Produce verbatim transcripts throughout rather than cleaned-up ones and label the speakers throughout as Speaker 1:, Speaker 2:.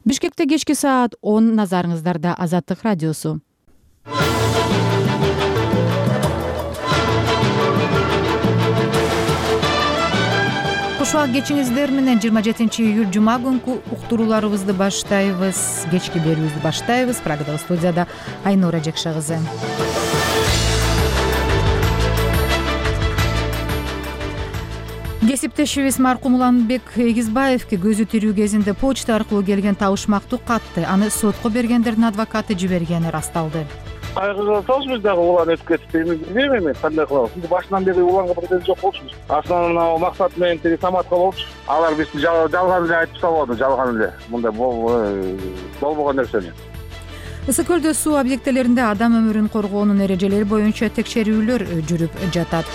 Speaker 1: Бишкекте кечки саат он, назарыңыздарда Азаттык радиосу. Куш убак кечиңиздер менен жыйырма жетинчи июль жума күнкү уктурууларыбызды баштайбыз. Кечки берүүбүздү баштайбыз. Прагадагы студияда Айнура Жакша кызы. Кесиптешибиз маркум Уланбек Эгизбаевге көзү тирүү кезинде почта аркылуу келген табышмактуу катты аны сотко бергендердин адвокаты жибергени расталды.
Speaker 2: Кайгыга атабыз биз дагы улан өтүп кетти. Билбейм эми кандай кылабыз. Бизди башынан бери уланга претензия жок болчубуз. Основной максат менен тиги Саматка болчу. Алар бизди жалган эле айтып салбады, жалган эле. Мындай болбогон нерсени.
Speaker 1: Ысык көлдө суу объектилеринде адам өмүрүн коргоонун эрежелери боюнча текшерүүлөр жүрүп жатат.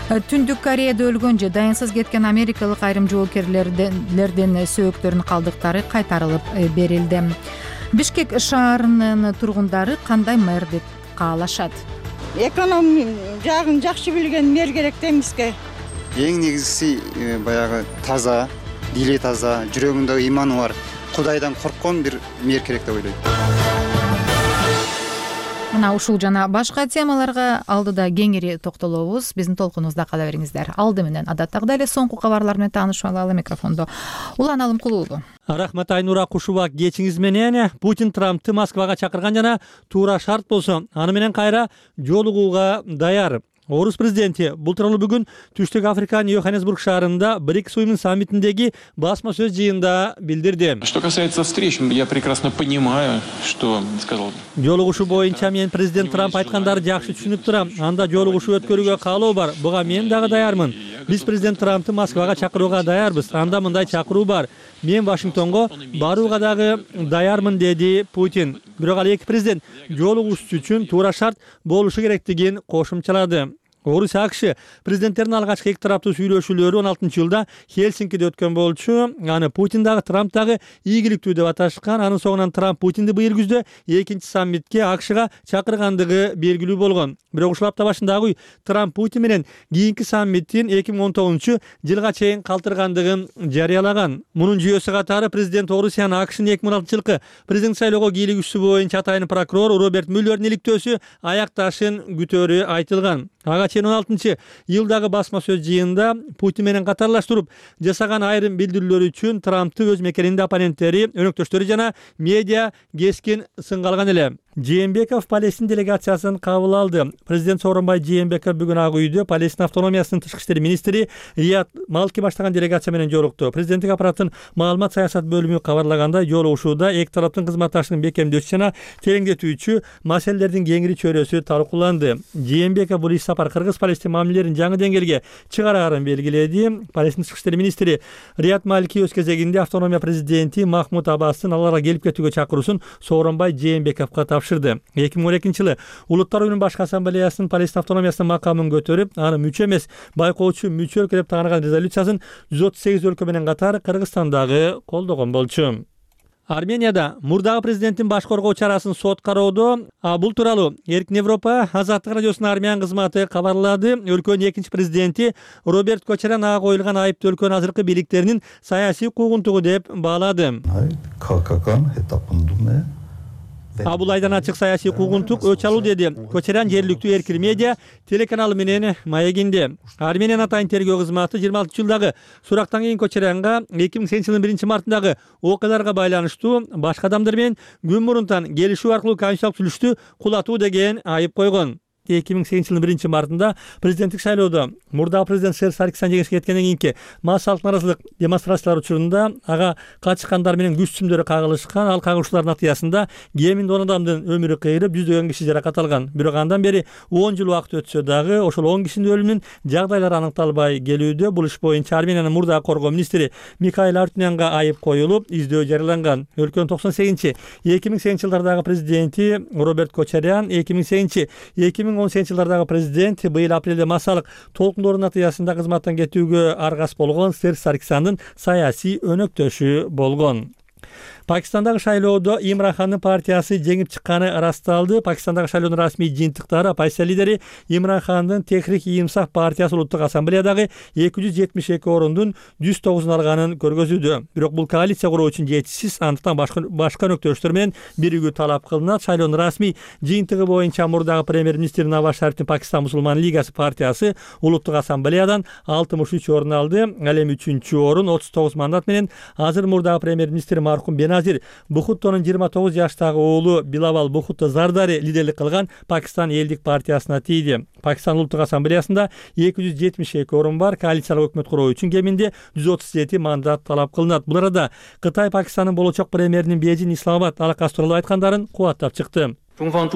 Speaker 1: Түндүк Кореяда өлгөн же дайынсыз кеткен америкалык айрым жоокерлердин сөөктөрүнүн калдыктары кайтарылып берилди. Бишкек шаарынын тургундары кандай мэр деп каалашат?
Speaker 3: Эконом жагын жакшы билген мэр керек да эмеске.
Speaker 4: Эң негизгиси баягы таза, дили таза, жүрөгүндө иманы бар, Кудайдан корккон бир мэр керек деп ойлойм.
Speaker 1: Мына ушул жана башка темаларга алдыда кеңири токтолобуз. Биздин толкунубузда кала бериңиздер. Алды менен адаттагыдай эле соңку кабарлар менен таанышып алалы. Микрофондо Улан Алымкулуулу.
Speaker 5: Рахмат Айнура, куш убак кечиңиз менен. Путин Трампты Москвага чакырган жана туура шарт болсо аны менен кайра жолугууга даяр. Орус президенти бул тууралуу бүгүн Түштүк Африканын Йоханнесбург шаарында БРИКС уюмунун саммитиндеги басма сөз жыйынында билдирди.
Speaker 6: Что касается встреч, я прекрасно понимаю, что сказал.
Speaker 5: Жолугушуу боюнча мен президент Трамп айткандарды жакшы түшүнүп турам. Анда жолугушуу өткөрүүгө каалоо бар. Буга мен дагы даярмын. Биз президент Трампты Москвага чакырууга даярбыз. Анда мындай чакыруу бар. Мен Вашингтонго барууга дагы даярмын, деди Путин. Бирок ал эки президент жолугушуу үчүн туура шарт болушу керектигин кошумчалады. Орусия АКШ президенттердин алгачкы эки тараптуу сүйлөшүүлөрү он алтынчы жылда Хельсинкиде өткөн болчу. Аны Путин дагы Трамп дагы ийгиликтүү деп аташкан. Анын соңунан Трамп Путинди быйыл күздө экинчи саммитке АКШга чакыргандыгы белгилүү болгон. Бирок ушул апта башындагы Трамп Путин менен кийинки саммиттин эки миң он тогузунчу жылга чейин калтыргандыгын жарыялаган. Мунун жүйөсү катары президент Орусиянын АКШнын эки миң он алтынчы жылкы президент шайлоого кийлигишүү боюнча атайын прокурор Роберт Мюллердин иликтөөсү аякташын күтөөрү айтылган. Ага чейин он алтынчы жылдагы басма сөз жыйында Путин менен катарлаштырып жасаган айрым билдирүүлөр үчүн Трампты өз мекенинде оппоненттери, өнөктөштөрү жана медиа кескин сынга алган эле. Жээнбеков Палестин делегациясын кабыл алды. Президент Сооронбай Жээнбеков бүгүн Ак үйдө Палестин автономиясынын тышкы иштер министри Рият Малки баштаган делегация менен жолукту. Президенттик аппараттын маалымат саясат бөлүмү кабарлагандай, жолугушууда эки тараптын кызматташтыгын бекемдөөчү жана тереңдетүүчү маселелердин кеңири чөйрөсү талкууланды. Жээнбеков бул иш сапар кыргыз-палестин мамилелерин жаңы деңгээлге чыгарарын белгиледи. Палестин тышкы иштер министри Рият Малки өз кезегинде автономия президенти Махмуд Аббастын аларга келип кетүүгө чакыруусун Сооронбай Жээнбековго тапшырды. эки миң он экинчи жылы Улуттар уюмунун башкы ассамблеясынын Палестин автономиясынын макамын көтөрүп, аны мүчө эмес, байкоочу мүчө өлкө деп тааныган резолюциясын жүз отуз сегиз өлкө менен катар Кыргызстандагы колдогон болчу. Арменияда мурдагы президенттин баш коргоо чарасын сот кароодо. Бул тууралуу Эркин Европа Азаттык радиосунун армян кызматы кабарлады. Өлкөнүн экинчи президенти Роберт Кочарян ага коюлган айыпты өлкөнүн азыркы бийликтеринин саясий куугунтугу деп баалады. А бул айдан ачык саясий куугунтук өч алуу, деди Кочарян жергиликтүү Эркин медиа телеканалы менен маегинде. Армениянын атайын тергөө кызматы жыйырма алтынчы жылдагы сурактан кийин Кочарянга эки миң сегизинчи жылдын биринчи мартындагы окуяларга байланыштуу башка адамдар менен күн мурунтан келишүү аркылуу конституциялык түзүлүштү кулатуу деген айып койгон. эки миң сегизинчи жылдын биринчи мартында президенттик шайлоодо мурдагы президент Серж Саркисян жеңишке жеткенден кийинки массалык нааразычылык демонстрациялар учурунда ага качкандар менен күч сүмдөрү кагылышкан. Ал кагылышуулардын натыйжасында кеминде он адамдын өмүрү кыйылып, жүздөгөн киши жаракат алган. Бирок андан бери он жыл убакыт өтсө дагы ошол он кишинин өлүмүнүн жагдайлары аныкталбай келүүдө. Бул иш боюнча Армениянын мурдагы коргоо министри Михаил Артюнянга айып коюлуп, издөө жарыяланган. Өлкөнүн токсон сегизинчи эки миң сегизинчи жылдардагы президенти Роберт Кочарян, эки миң сегизинчи эки миң он сегизинчи жылдардагы президент быйыл апрелде массалык толкундоордун натыйжасында кызматтан кетүүгө аргас болгон Серж Саркисяндын саясий өнөктөшү болгон. Пакистандагы шайлоодо Имран Хандын партиясы жеңип чыкканы ырасталды. Пакистандагы шайлоонун расмий жыйынтыктары оппозиция лидери Имран Хандын Техрик-и-Инсаф партиясы улуттук ассамблеядагы эки жүз жетимиш эки орундун жүз тогузун алганын көргөзүүдө. Бирок бул коалиция куруу үчүн жетишсиз, андыктан башка башка өнөктөштөр менен биригүү талап кылынат. Шайлоонун расмий жыйынтыгы боюнча мурдагы премьер-министр Наваз Шарифтин Пакистан мусулман лигасы партиясы улуттук ассамблеядан алтымыш үч орун алды. Ал эми үчүнчү орун отуз тогуз мандат менен азыр мурдагы премьер-министр мархум Беназир Бухуттонун жыйырма тогуз жаштагы уулу Билавал Бухутто Зардари лидерлик кылган Пакистан элдик партиясына тийди. Пакистан улуттук ассамблеясында эки жүз жетимиш эки орун бар. Коалициялык өкмөт куруу үчүн кеминде жүз отуз жети мандат талап кылынат. Бул арада Кытай Пакистандын болочок премьеринин Бейжин Исламабад алакасы тууралуу айткандарын кубаттап чыкты. Кытай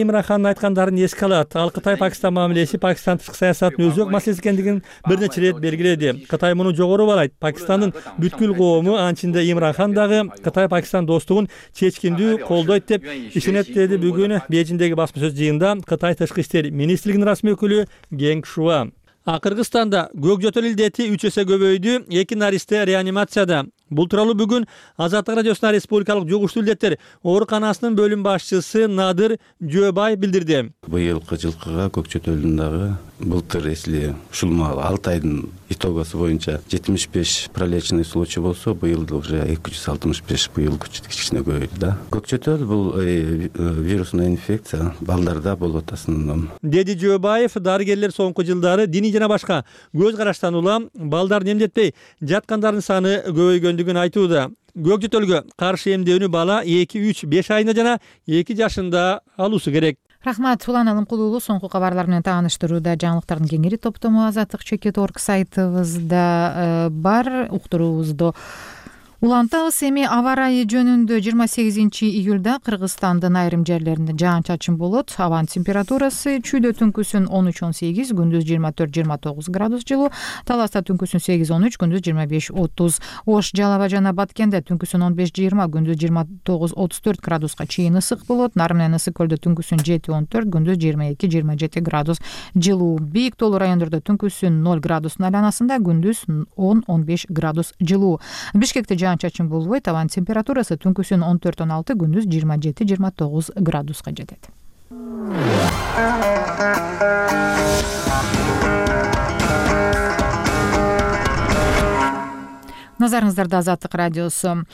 Speaker 5: Имран Хандын айткандарын эске алат. Ал Кытай Пакистан мамилеси Пакистан тышкы саясатынын өзөк маселеси экендигин бир нече ирет белгиледи. Кытай муну жогору баалайт. Пакистандын бүткүл коому, анчинде Имран Хан дагы Кытай Пакистан достугун чечкиндүү колдойт деп ишенет, деди бүгүн Бейжиндеги басма сөз жыйынында Кытай тышкы иштер министрлигинин расмий өкүлү Генг Шуа. Кыргызстанда көк жөтөл илдети үч эсе көбөйдү. Эки наристе реанимацияда. Бул тууралуу бүгүн Азаттык радиосуна республикалык жугуштуу илдеттер ооруканасынын бөлүм башчысы Надыр Жөөбай билдирди.
Speaker 7: Быйылкы жылкыга көк жөтөлдүн дагы былтыр эсли ушул алты айдын итогосу боюнча жетимиш беш пролечный случай болсо, быйыл уже эки жүз алтымыш беш, быйыл кичине көбөйдү да. Көк жөтөл бул вирусный инфекция, балдарда болот основном. Деди
Speaker 5: Жөөбаев, дарыгерлер соңку жылдары диний жана башка көз караштан улам балдарды эмдетпей жаткандардын саны көбөйгөндүгүн айтууда. Көк жөтөлгө каршы эмдөөнү бала эки үч беш айында жана эки жашында алуусу керек.
Speaker 1: Рахмат, Улан Алымкулуулу соңку кабарлар менен тааныштырууда. Жаңылыктардын кеңири топтому азаттык чекит орг сайтыбызда бар. Уктуруубузду улантабыз. Эми аба ырайы жөнүндө жыйырма сегизинчи июлда Кыргызстандын айрым жерлеринде жаан-чачын болот. Абанын температурасы чүйдө түнкүсүн он үч он сегиз, күндүз жыйырма төрт жыйырма тогуз градус жылуу, Таласта түнкүсүн сегиз он үч, күндүз жыйырма беш отуз, Ош, Жалал Абад жана Баткенде түнкүсүн он беш жыйырма, күндүз жыйырма тогуз отуз төрт градуска чейин ысык болот. Нар менен Ысык көлдө түнкүсүн жети он төрт, күндүз жыйырма эки жыйырма жети градус жылуу. Бийик тоолуу райондордо түнкүсүн ноль градустун айланасында, күндүз он он беш градус жылуу. Бишкекте чачын болбойт. Абанын температурасы түнкүсүн он төрт он алты, күндүз жыйырма жети жыйырма тогуз градуска жетет. Назарыңыздарда Азаттык радиосу.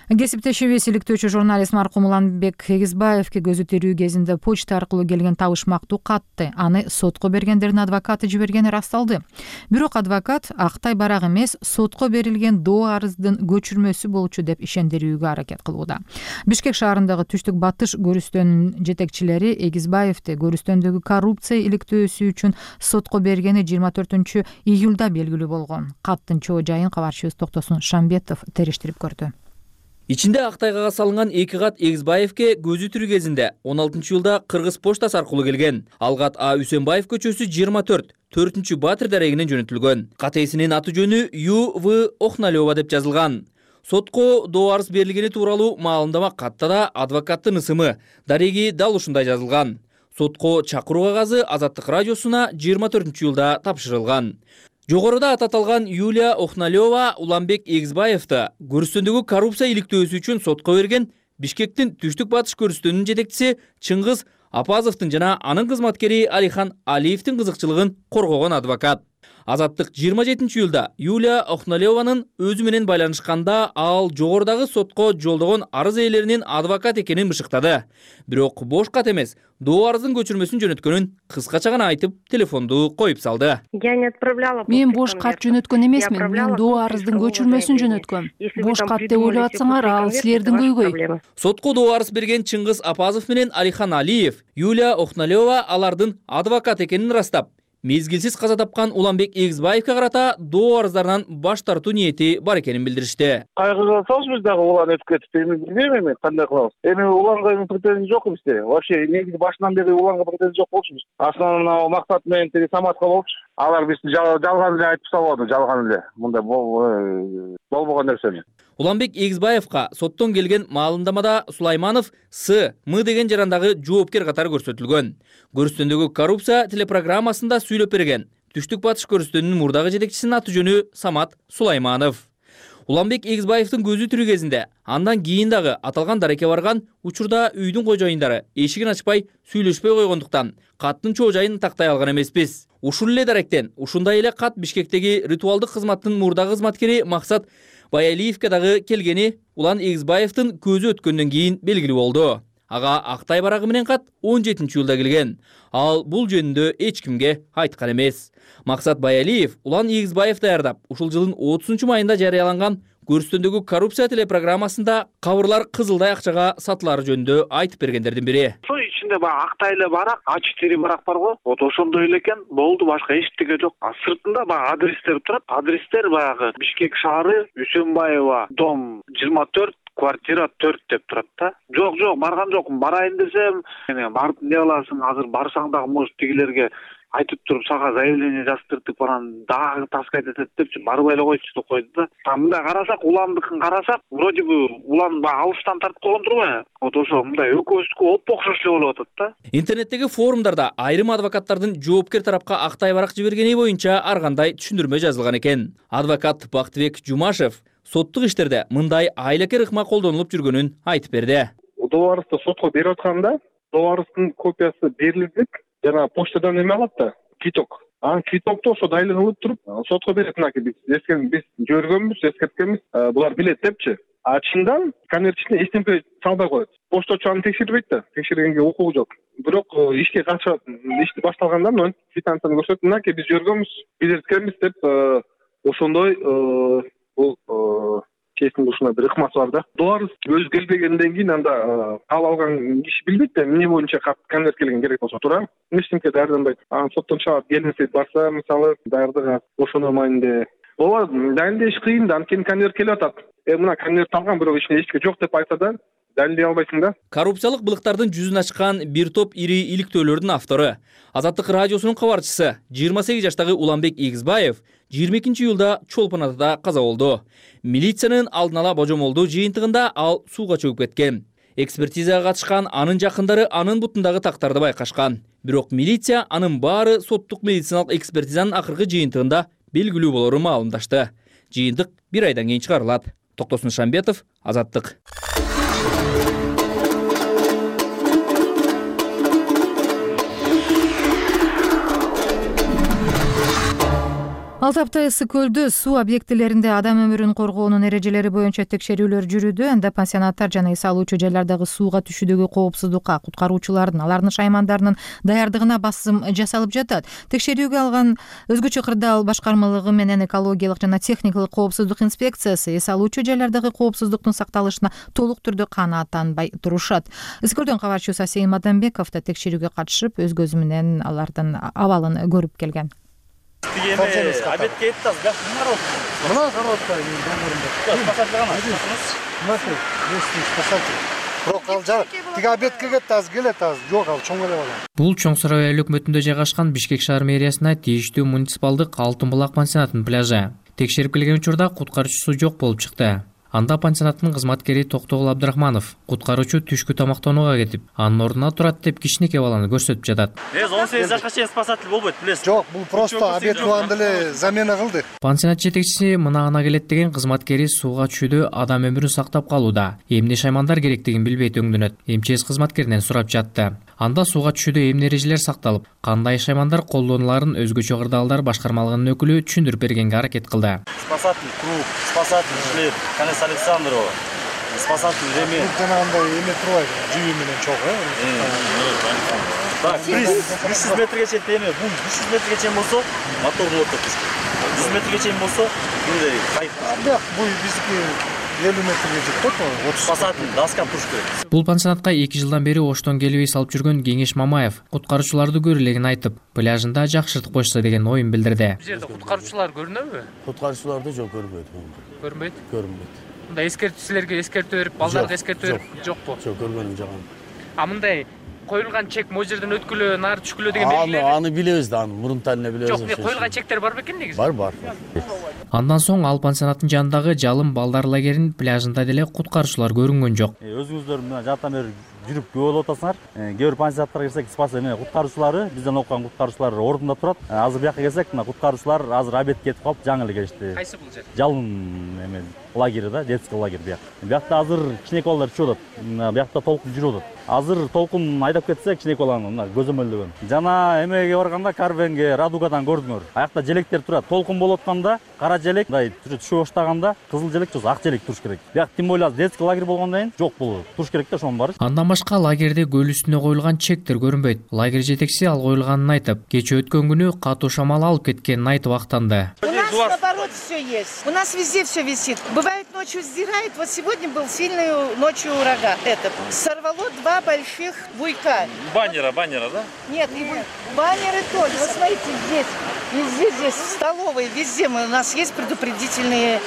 Speaker 1: Кесиптешибиз иликтөөчү журналист маркум Уланбек Эгизбаевке көзү тирүү кезинде почта аркылуу келген табышмактуу катты аны сотко бергендердин адвокаты жибергени ырасталды. Бирок адвокат актай барак эмес, сотко берилген доо арыздын көчүрмөсү болчу деп ишендирүүгө аракет кылууда. Бишкек шаарындагы Түштүк Батыш көрүстөнүнүн жетекчилери Эгизбаевди көрүстөндөгү коррупция иликтөөсү үчүн сотко бергени жыйырма төртүнчү июлда белгилүү болгон. Каттын чоо жайын кабарчыбыз Токтосун Шамбетов териштирип көрдү.
Speaker 8: Ичинде актайга салынган эки кат Эгизбаевке көзү тирүү кезинде он алтынчы жылда Кыргыз поштасы аркылуу келген. Ал кат А. Үсенбаев көчөсү жыйырма төрт, төртүнчү Батыр дарегинен жөнөтүлгөн. Кат ээсинин аты жөнү Ю В Охналёва деп жазылган. Сотко доо арыз берилгени тууралуу маалымдама катта да адвокаттын ысымы, дареги дал ушундай жазылган. Сотко чакыруу кагазы Азаттык радиосуна жыйырма төртүнчү июлда тапшырылган. Жогоруда ататалган Юлия Охналёва Уланбек Эгизбаевди көрүстөндөгү коррупция иликтөөсү үчүн сотко берген. Бишкектин Түштүк Батыш көрүстөнүнүн жетекчиси Чыңгыз Апазовдун жана анын кызматкери Алихан Алиевдин кызыкчылыгын коргогон адвокат. Азаттык жыйырма жетинчи июлда Юлия Охналёванын өзү менен байланышканда ал жогорудагы сотко жолдогон арыз ээлеринин адвокат экенин бышыктады. Бирок бош кат эмес, доо арыздын көчүрмөсүн жөнөткөнүн кыскача гана айтып, телефонду коюп салды.
Speaker 9: Мен бош кат жөнөткөн эмесмин, мен доо арыздын көчүрмөсүн жөнөткөм. Бош кат деп ойлоп атсаңар, ал силердин көйгөй.
Speaker 8: Сотко доо арыз берген Чыңгыз Апазов менен Алихан Алиев Юлия Охналёва алардын адвокат экенин ырастап, мезгилсиз каза тапкан Уланбек Эгизбаевке карата доо арыздарынан баш тартуу ниети бар экенин билдиришти.
Speaker 2: Кайгыга салсыз биз дагы улан өтүп кетип, эми билбейм эми кандай кылабыз. Эми уланга претензия жок бизде. Вообще негизи башынан бери уланга претензия жок болчубуз. Основной максат менен тиги Саматка болчу. Алар бизди жалган эле айтып салбады, жалган эле. Мындай болбогон нерсени.
Speaker 8: Уланбек Эгизбаевка соттон келген маалымдамада Сулайманов С. М деген жарандагы жоопкер катары көрсөтүлгөн. Көрүстөндөгү коррупция телепрограммасында сүйлөп берген. Түштүк Батыш көрүстөнүнүн мурдагы жетекчисинин аты жөнү Самат Сулайманов. Уланбек Эгизбаевдин көзү тирүү кезинде андан кийин дагы аталган дарекке барган учурда үйдүн кожоюндары эшигин ачпай сүйлөшпөй койгондуктан каттын чоо жайын тактай алган эмеспиз. Ушул эле даректен ушундай эле кат Бишкектеги ритуалдык кызматтын мурдагы кызматкери Максат Баялиевке дагы келгени Улан Эгизбаевдин көзү өткөндөн кийин белгилүү болду. Ага Актай барагы менен кат он жетинчи жылда келген. Ал бул жөнүндө эч кимге айткан эмес. Максат Баялиев Улан Эгизбаев даярдап, ушул жылдын отузунчу майында жарыяланган көрсөтөндөгү коррупция телепрограммасында кабырлар кызылдай акчага сатылары жөнүндө айтып бергендердин бири.
Speaker 2: Ошо ичинде баягы Актай эле барак, ачык тери барак бар го. Вот ошондой эле экен. Болду, башка эчтеке жок. А сыртында баягы адрестер турат. Адрестер баягы Бишкек шаары, Үсөнбаева, дом жыйырма төрт, квартира төрт деп турат да. Жок, жок, барган жокмун. Барайын десем, барып эмне кыласың? Азыр барсаң дагы может тигилерге айтып туруп сага заявление жаздыртып баран дагы таскайт этет депчи барбай эле койчу деп койду да. Мындай карасак, Уландыкын карасак, вроде бы Улан алыстан тартып койгон турбайбы? Вот ошо мындай экөөбүздүкү оп окшош эле болуп атат да.
Speaker 8: Интернеттеги форумдарда айрым адвокаттардын жоопкер тарапка Актай барак жибергени боюнча ар кандай түшүндүрмө жазылган экен. Адвокат Бактыбек Жумашев соттук иштерде мындай айлакер ыкма колдонулуп жүргөнүн айтып берди.
Speaker 2: Доорубузду сотко берип атканда, доорубуздун копиясы берилдик. Жана почтадан эме алат да, киток. Анан китокту ошо дайланып туруп, сотко берет. Мынакей биз эскерген, биз жөргөнбүз, эскерткенбиз, булар билет депчи. А чындан конверт ичине эч нерсе салбай коет. Поштачы аны текшербейт да, текшергенге укугу жок. Бирок ишке качып, ишти башталганда мына квитанцияны көрсөтүп, мынакей биз жөргөнбүз, билеткенбиз деп ошондой бул чечимде ушундай бир ыкмасы бар да. Доорубуз өзү келбегенден кийин анда кабыл алган киши билбейт да, эмне боюнча конверт келген керек болсо туура. Эчтеке даярданбайт. Анан соттон чыгып келмесе барса, мисалы, даярдык ошондой маанинде. Ооба, далилдеш кыйын да, анткени конверт келип атат. Э мына конверт алган, бирок ичинде эчтеке жок деп айтса да, далилдей албайсың да.
Speaker 8: Коррупциялык былыктардын жүзүн ачкан бир топ ири иликтөөлөрдүн автору, Азаттык радиосунун кабарчысы жыйырма сегиз жаштагы Уланбек Эгизбаев жыйырма экинчи июлда Чолпон атада каза болду. Милициянын алдын ала божомолдуу жыйынтыгында ал сууга чөгүп кеткен. Экспертизага катышкан анын жакындары анын бутундагы тактарды байкашкан. Бирок милиция анын баары соттук медициналык экспертизанын акыркы жыйынтыгында белгилүү болорун маалымдашты. Жыйынтык бир айдан кийин чыгарылат. Токтосун Шамбетов, Азаттык.
Speaker 1: Алты апта ысык көлдө суу объектилеринде адам өмүрүн коргоонун эрежелери боюнча текшерүүлөр жүрүүдө. Анда пансионаттар жана эс алуучу жайлардагы сууга түшүүдөгү коопсуздукка, куткаруучулардын, алардын шаймандардын даярдыгына басым жасалып жатат. Текшерүүгө алган өзгөчө кырдаал башкармалыгы менен экологиялык жана техникалык коопсуздук инспекциясы эс алуучу жайлардагы коопсуздуктун сакталышына толук түрдө канааттанбай турушат. Ысык көлдөн кабарчыбыз Асейин Мадамбеков да текшерүүгө катышып, өз көзү менен алардын абалын көрүп келген.
Speaker 10: Обедке еттаз, да? Мына коробка тиги обедке кетти, аз келет, аз жок, ал чоң эле бала.
Speaker 11: Бул Чоң Сарай өлкмөтүндө жайгашкан Бишкек шаар мэриясына тийиштүү муниципалдык Алтын булак пансионатынын пляжы. Текшерип келген учурда куткаруучусу жок болуп чыкты. Анда пансионаттын кызматкери Токтогул Абдрахманов куткаруучу түшкү тамактанууга кетип, анын ордуна турат деп кичинекей баланы көрсөтүп жатат.
Speaker 10: он сегиз жашка чейин спасатель болбойт, билесиз? Жок, бул просто обед кылганда эле замена кылды.
Speaker 11: Пансионат жетекчиси мына гана келет деген кызматкери сууга түшүүдө адам өмүрүн сактап калууда. Эмне шаймандар керектигин билбей өңдөнөт. МЧС кызматкеринен сурап жатты. Анда сууга түшүүдө эмне эрежелер сакталып, кандай шаймандар колдонуларын өзгөчө кырдаалдар башкармалыгынын өкүлү түшүндүрүп бергенге аракет кылды.
Speaker 10: Спасатель круг, спасатель шлеп, Канес Александрова, спасатель ремень. Жанагындай эме турбайбы, жүйүү менен чогуу, э? Так, үч жүз метрге чейин теме, бул үч жүз метрге чейин болсо, мотор болот. жүз метрге чейин болсо, мындай кайык. Бак, бул биздики элүү метрге жетет, отуз спасатель даска туруш керек.
Speaker 11: Бул пансионатка эки жылдан бери оштон келбей салып жүргөн Кеңеш Мамаев куткаруучуларды көрүлегин айтып, пляжында жакшыртып койсо деген оюн билдирди.
Speaker 12: Бул жерде куткаруучулар көрүнөбү?
Speaker 10: Куткаруучуларды жок көрбөйт.
Speaker 12: Көрүнбөйт?
Speaker 10: Көрүнбөйт.
Speaker 12: Мындай эскертүү силерге эскертүү берип, балдарга эскертүү берип жокпу?
Speaker 10: Жок, көргөнүм жок.
Speaker 12: А мындай коюлган чек могу жерден өткүлө, нары түшкүлө деген белгилер.
Speaker 10: Аны билебиз да, аны мурунтан эле билебиз.
Speaker 12: Жок, коюлган чектер бар бекен негизи?
Speaker 10: Бар, бар.
Speaker 11: Андан соң ал пансионаттын жанындагы Жалым балдар лагеринин пляжында деле куткаруучулар көрүнгөн жок.
Speaker 10: Өзүңүздөр мына жактан бери жүрүп күбө болуп атасыңар. Кээ бир пансионаттарга кирсек, спасение куткаруучулары, бизден окуган куткаруучулар ордунда турат. Азыр бияка келсек, мына куткаруучулар азыр обед кетип калып, жаңы эле келишти.
Speaker 12: Кайсы бул жер?
Speaker 10: Жалын эме лагери да, детский лагерь бияк. Биякта азыр кичинекей балдар чыгып атат. Биякта толкун жүрүп атат. Азыр толкун айдап кетсек, кичинекей баланы мына көзөмөлдөгөн. Жана эмеге барганда Карвенге, Радугадан көрдүңөр. Аякта желектер турат. Толкун болуп атканда кара желек, мындай түшө баштаганда кызыл желек же ак желек туруш керек. Бияк тим болот детский лагерь болгондон кийин жок болот. Туруш керек да ошонун баары.
Speaker 11: Андан башка лагерде көл үстүнө коюлган чектер көрүнбөйт. Лагерь жетекчиси ал коюлганын айтып, кече өткөн күнү катуу шамал алып кеткенин айтып актанды.
Speaker 13: У нас наоборот все есть. У нас везде все висит. Бывает ночью сдирает. Вот сегодня был сильный ночью ураган. Это сорвало два больших буйка.
Speaker 10: Баннера, баннера, да?
Speaker 13: Нет, и баннеры тоже. Вот смотрите, здесь, везде здесь, в столовой, везде мы, у нас есть предупредительные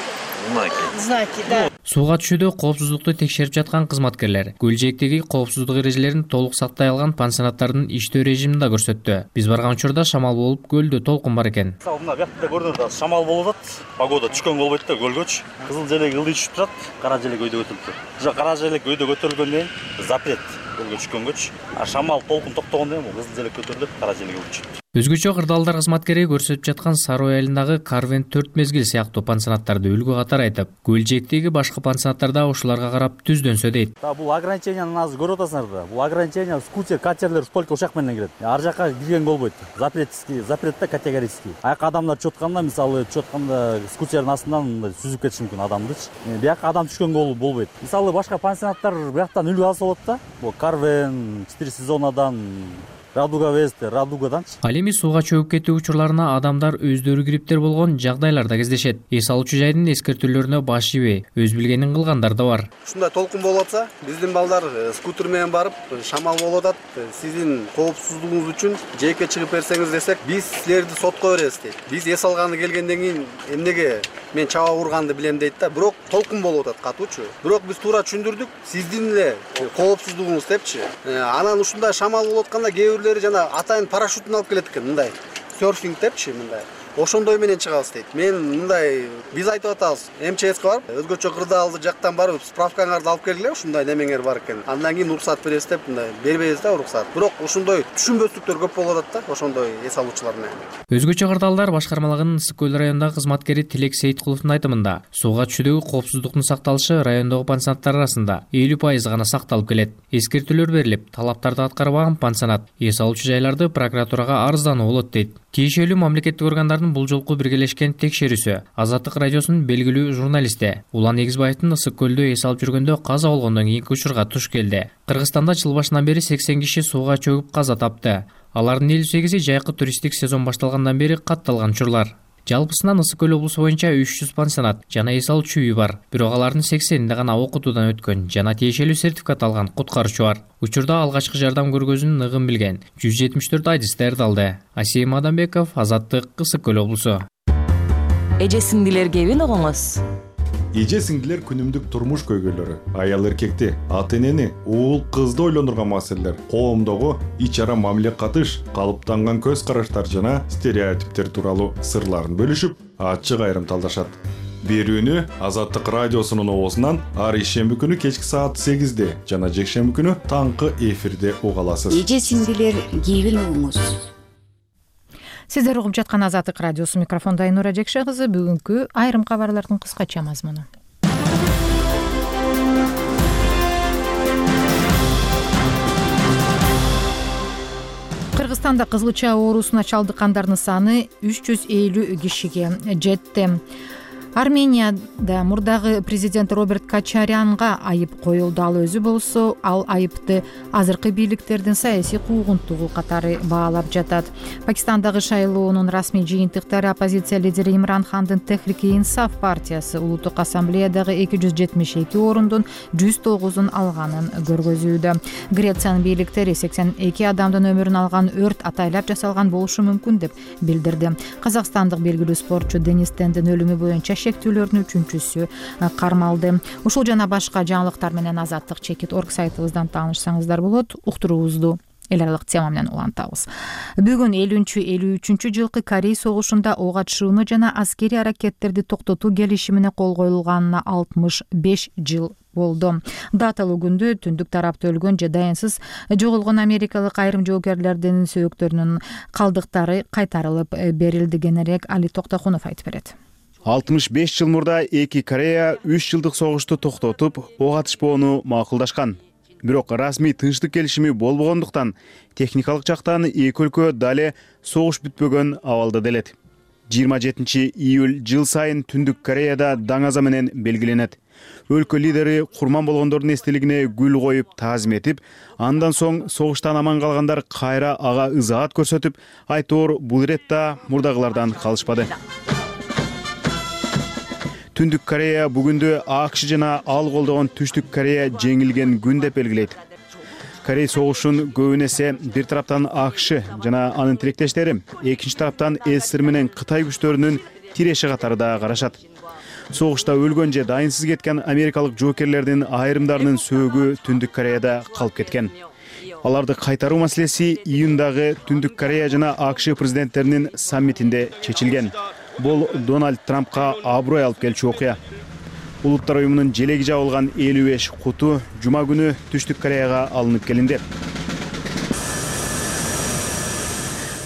Speaker 13: знаки. Знаки, да.
Speaker 11: Сууга түшүүдө коопсуздукту текшерип жаткан кызматкерлер көл жээктеги коопсуздук эрежелерин толук сактай алган пансионаттардын иштөө режимин да көрсөттү. Биз барган учурда шамал болуп, көлдө толкун бар экен.
Speaker 10: Мына биякта көрдүңөр, шамал болуп атат. Погода түшкөн болбойт да, көлгөчү. Кызыл желек ылдый түшүп турат, кара желек өйдө көтөрүлүп турат. Уже кара желек өйдө көтөрүлгөндөн кийин запрет көлгө түшкөнгөчү. А шамал толкун токтогондон кийин кызыл желек көтөрүлүп, кара желек ылдый түшөт.
Speaker 11: Өзгөчө кырдаалдар кызматкери көрсөтүп жаткан Сарой айылындагы Карвен төрт мезгил сыяктуу пансионаттарды үлгү катары айтып, көл жээктеги башка пансионаттарда ушуларга карап түздөнсө дейт.
Speaker 10: Бул ограниченияны азыр көрүп атасыңар да. Бул ограничение скутер, катерлер только ушак менен кирет. Ар жака кирген болбойт. Запретский, запретте категорический. Аяка адамдар түшүп атканда, мисалы түшүп атканда скутердин астынан мындай сүзүп кетиши мүмкүн адамдычы. Бияка адам түшкөн болбойт. Мисалы башка пансионаттар бияктан үлгү алса болот да. Бул Карвен четыре сезонадан Радуга Вест, Радугаданчы.
Speaker 11: Ал эми сууга чөгүп кетүү учурларына адамдар өздөрү кириптер болгон жагдайларда кездешет. Эс алуучу жайдын эскертүүлөрүнө баш ийбей, өз билгенин кылгандар да бар.
Speaker 14: Ушундай толкун болуп атса, биздин балдар скутер менен барып, шамал болуп атат. Сиздин коопсуздугуңуз үчүн жээкке чыгып берсеңиз десек, биз силерди сотко беребиз дейт. Биз эс алганы келгенден кийин эмнеге мен чаба урганды билем дейт да. Бирок толкун болуп атат катуучу. Бирок биз туура түшүндүрдүк, сиздин эле коопсуздугуңуз депчи. Анан ушундай шамал болуп атканда кээ жана атайын парашютун алып келет экен, мындай серфинг депчи, мындай. Ошондой менен чыгабыз дейт. Мен мындай биз айтып атабыз, эм че эске барып, өзгөчө кырдаалды жактан барып, справкаңарды алып келгиле, ушундай немеңер бар экен. Андан кийин уруксат беребиз деп, мындай бербейбиз да уруксат. Бирок ушундай түшүнбөстүктөр көп болуп атат да, ошондой эс алуучулар менен.
Speaker 11: Өзгөчө кырдаалдар башкармалыгынын Ысык көл районундагы кызматкери Тилек Сейиткуловдун айтымында, сууга түшүүдөгү коопсуздуктун сакталышы райондогу пансионаттар арасында элүү пайыз гана сакталып келет. Эскертүүлөр берилип, талаптарды аткарбаган пансионат эс алуучу жайларды прокуратурага арыздануу болот дейт. Тиешелүү мамлекеттик органдардын бул жолку биргелешкен текшерүүсү Азаттык радиосунун белгилүү журналисти Улан Эгизбаевдин Ысык көлдө эс алып жүргөндө каза болгондон кийинки учурга туш келди. Кыргызстанда жыл башынан бери сексен киши сууга чөгүп каза тапты. Алардын элүү сегизи жайкы туристтик сезон башталгандан бери катталган учурлар. Жалпысынан Ысык көл облусу боюнча үч жүз пансионат жана эс алуучу үй бар. Бирок алардын сексенинде гана окутуудан өткөн жана тиешелүү сертификат алган куткаруучу бар. Учурда алгачкы жардам көргөзүүнүн ыгын билген жүз жетимиш төрт айдыс даярдалды. Асейим Адамбеков, Азаттык, Ысык көл облусу.
Speaker 15: Эже сиңдилер кебин угуңуз.
Speaker 16: Эже сиңдилер күнүмдүк турмуш көйгөйлөрү, аял эркекти, ата энени, уул кызды ойлондурган маселелер, коомдогу ич ара мамиле катыш, калыптанган көз караштар жана стереотиптер тууралуу сырларын бөлүшүп, ачык айрым талдашат. Берүүнү Азаттык радиосунун оозунан ар ишемби күнү кечки саат сегизде жана жекшемби күнү таңкы эфирде уга аласыз.
Speaker 15: Эже сиңдилер кебин угуңуз.
Speaker 1: Сиздер угуп жаткан Азаттык радиосу, микрофонда Айнура Жекше кызы. Бүгүнкү айрым кабарлардын кыскача мазмуну. Кыргызстанда кызылча оорусуна чалдыккандардын саны үч жүз элүү кишиге жетти. Арменияда мурдагы президент Роберт Качарянга айып коюлду. Ал өзү болсо, ал айыпты азыркы бийликтердин саясий куугунтугу катары баалап жатат. Пакистандагы шайлоонун расмий жыйынтыктары оппозиция лидери Имран Хандын Техрики-Инсаф партиясы улуттук ассамблеядагы эки жүз жетимиш эки орундун жүз тогузун алганын көргөзүүдө. Грециянын бийликтери сексен эки адамдын өмүрүн алган өрт атайлап жасалган болушу мүмкүн деп билдирди. Казакстандык белгилүү спортчу Денис Тендин өлүмү боюнча шектүүлөрдүн үчүнчүсү кармалды. Ушул жана башка жаңылыктар менен азаттык чекит точка орг сайтыбыздан таанышсаңыздар болот. Уктуруубузду эл аралык тема менен улантабыз. Бүгүн элүүнчү элүү үчүнчү жылкы Корей согушунда ок атышууну жана аскерий аракеттерди токтотуу келишимине кол коюлганына алтымыш беш жыл болду. Даталуу күндө түндүк тарапта өлгөн же дайынсыз жоголгон америкалык айрым жоокерлердин сөөктөрүнүн калдыктары кайтарылып берилди. Кенерээк Али Токтокунов айтып берет.
Speaker 17: алтымыш беш жыл мурда эки Корея үч жылдык согушту токтотуп, ок атышпоону макулдашкан. Бирок расмий тынчтык келишими болбогондуктан техникалык жактан эки өлкө дале согуш бүтпөгөн абалда делет. жыйырма жетинчи июль жыл сайын Түндүк Кореяда даңаза менен белгиленет. Өлкө лидери курман болгондордун эстелигине гүл коюп таазим этип, андан соң согуштан аман калгандар кайра ага ызаат көрсөтүп, айтоор бул иретта мурдагылардан калышпады. Түндүк Корея бүгүндө АКШ жана ал колдогон Түштүк Корея жеңилген күн деп белгилейт. Корей согушун көбүн эсе бир тараптан АКШ жана анын тилектештери, экинчи тараптан СССР менен Кытай күчтөрүнүн тиреши катары да карашат. Согушта өлгөн же дайынсыз кеткен америкалык жоокерлердин айрымдарынын сөөгү Түндүк Кореяда калып кеткен. Аларды кайтаруу маселеси июндагы Түндүк Корея жана АКШ президенттеринин саммитинде чечилген. Бул Дональд Трампка аброй алып келчү окуя. Улуттар уюмунун желеги жабылган элүү беш куту жума күнү Түштүк Кореяга алынып келинди.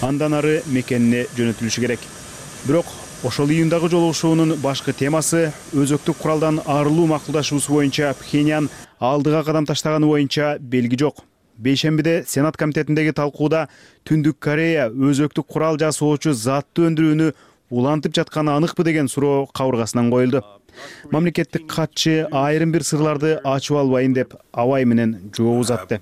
Speaker 17: Андан ары мекенине жөнөтүлүшү керек. Бирок ошол июндагы жолугушуунун башкы темасы өзөктүк куралдан арылуу макулдашуусу боюнча Пхеньян алдыга кадам таштаганы боюнча белги жок. Бейшембиде Сенат комитетиндеги талкууда Түндүк Корея өзөктүк курал жасоочу затты өндүрүүнү улантып жатканы аныкпы деген суроо кабыргасынан коюлду. Мамлекеттик катчы айрым бир сырларды ачып албайын деп абай менен жооп узатты.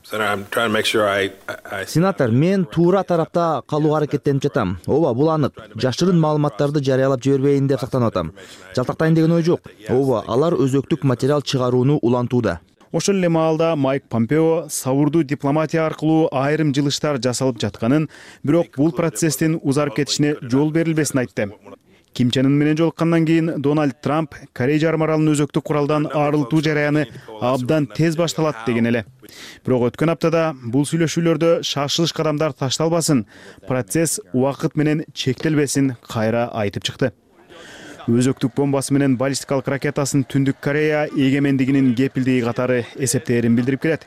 Speaker 18: Сенатор, мен туура тарапта калууга аракеттенип жатам. Ооба, бул анык. Жашырын маалыматтарды жарыялап жибербейин деп сактанып атам. Жалтактайын деген ой жок. Ооба, алар өзөктүк материал чыгарууну улантууда.
Speaker 17: Ошол эле маалда Майк Помпео сабурдуу дипломатия аркылуу айрым жылыштар жасалып жатканын, бирок бул процесстин узарып кетишине жол берилбесин айтты. Ким Чен Ын менен жолуккандан кийин Дональд Трамп Корей жарым аралын өзөктүк куралдан арылтуу жараяны абдан тез башталат деген эле. Бирок өткөн аптада бул сүйлөшүүлөрдө шашылыш кадамдар ташталбасын, процесс убакыт менен чектелбесин кайра айтып чыкты. Өзөктүк бомбасы менен баллистикалык ракетасын Түндүк Корея эгемендигинин кепилдиги катары эсептээрин билдирип келет.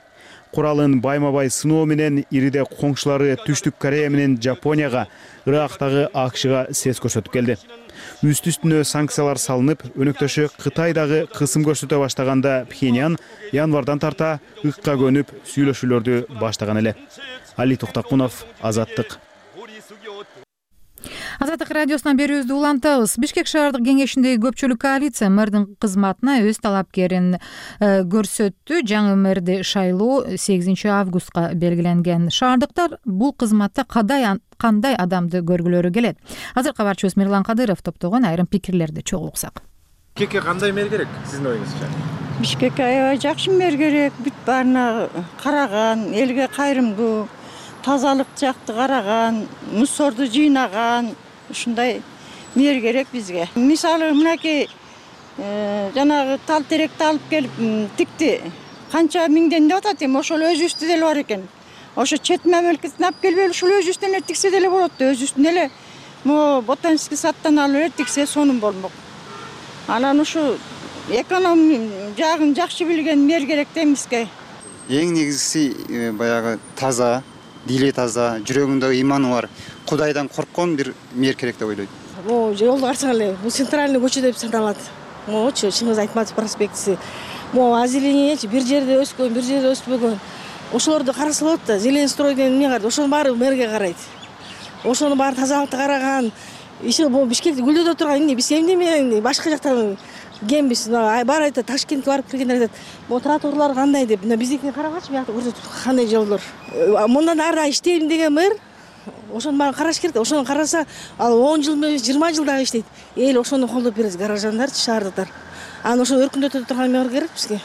Speaker 17: Куралын байма-бай сыноо менен ириде коңшулары Түштүк Корея менен Жапонияга, Ирактагы АКШга сес көрсөтүп келди. Үстү-үстүнө санкциялар салынып, өнөктөшү Кытай дагы кысым көрсөтө баштаганда Пхеньян январдан тарта ыкка көнүп сүйлөшүүлөрдү баштаган эле. Али Токтокунов, Азаттык.
Speaker 1: Азаттык радиосунан берүүбүздү улантабыз. Бишкек шаардык кеңешиндеги көпчүлүк коалиция мэрдин кызматына өз талапкерин көрсөттү. Жаңы мэрди шайлоо сегизинчи августка белгиленген. Шаардыктар бул кызматта кандай адамды көргүлөрү келет? Азыр кабарчыбыз Мирлан Кадыров топтогон айрым пикирлерди чогуу уксак.
Speaker 10: Бишкекке кандай мэр керек сиздин оюңузча?
Speaker 3: Бишкекке аябай жакшы мэр керек. Бүт баарына караган, элге кайрымдуу, тазалык жакты караган, мусорду жыйнаган, ушундай мэр керек бизге. Мисалы мынакей жанагы тал теректи алып келип тикти. Канча миңден деп атат эми, ошол өзүбүздө деле бар экен. Ошо чет мамлекеттен алып келип ушул өзүбүздөн эле тиксе деле болот да, өзүбүздөн эле могу ботанический садтан алып эле тиксе сонун болмок. Анан ушу эконом жагын жакшы билген мэр керек да бизге.
Speaker 4: Эң негизгиси баягы таза, дили таза, жүрөгүндө иманы бар, Кудайдан корккон бир мэр керек деп ойлойт.
Speaker 19: Могу жолду карасаң эле, бул центральный көчө деп саналат. Могучу Чыңгыз Айтматов проспектиси. Могу озеленениечи бир жерде өскөн, бир жерде өспөгөн. Ошолорду караса болот да, зелень стройден эмне карайт, ошонун баары мэрге карайт. Ошонун баары тазалыкты караган. Иши бул Бишкекти гүлдөтө турган эмне, биз эмне башка жактан кембиз. Баары айтат, Ташкентке барып келгендер айтат, могу тротуарлар кандай деп. Биздикине карагачы, биякта көрсөтүп кандай жолдор. Мындан ары иштейм деген мэр ошонун баарын караш керек. Ошону караса, ал он жыл эмес, жыйырма жыл дагы иштейт. Эл ошону колдоп берет, гаражандарчы, шаардыктар. Анан ошо өркүндөтө турган мэр керек бизге.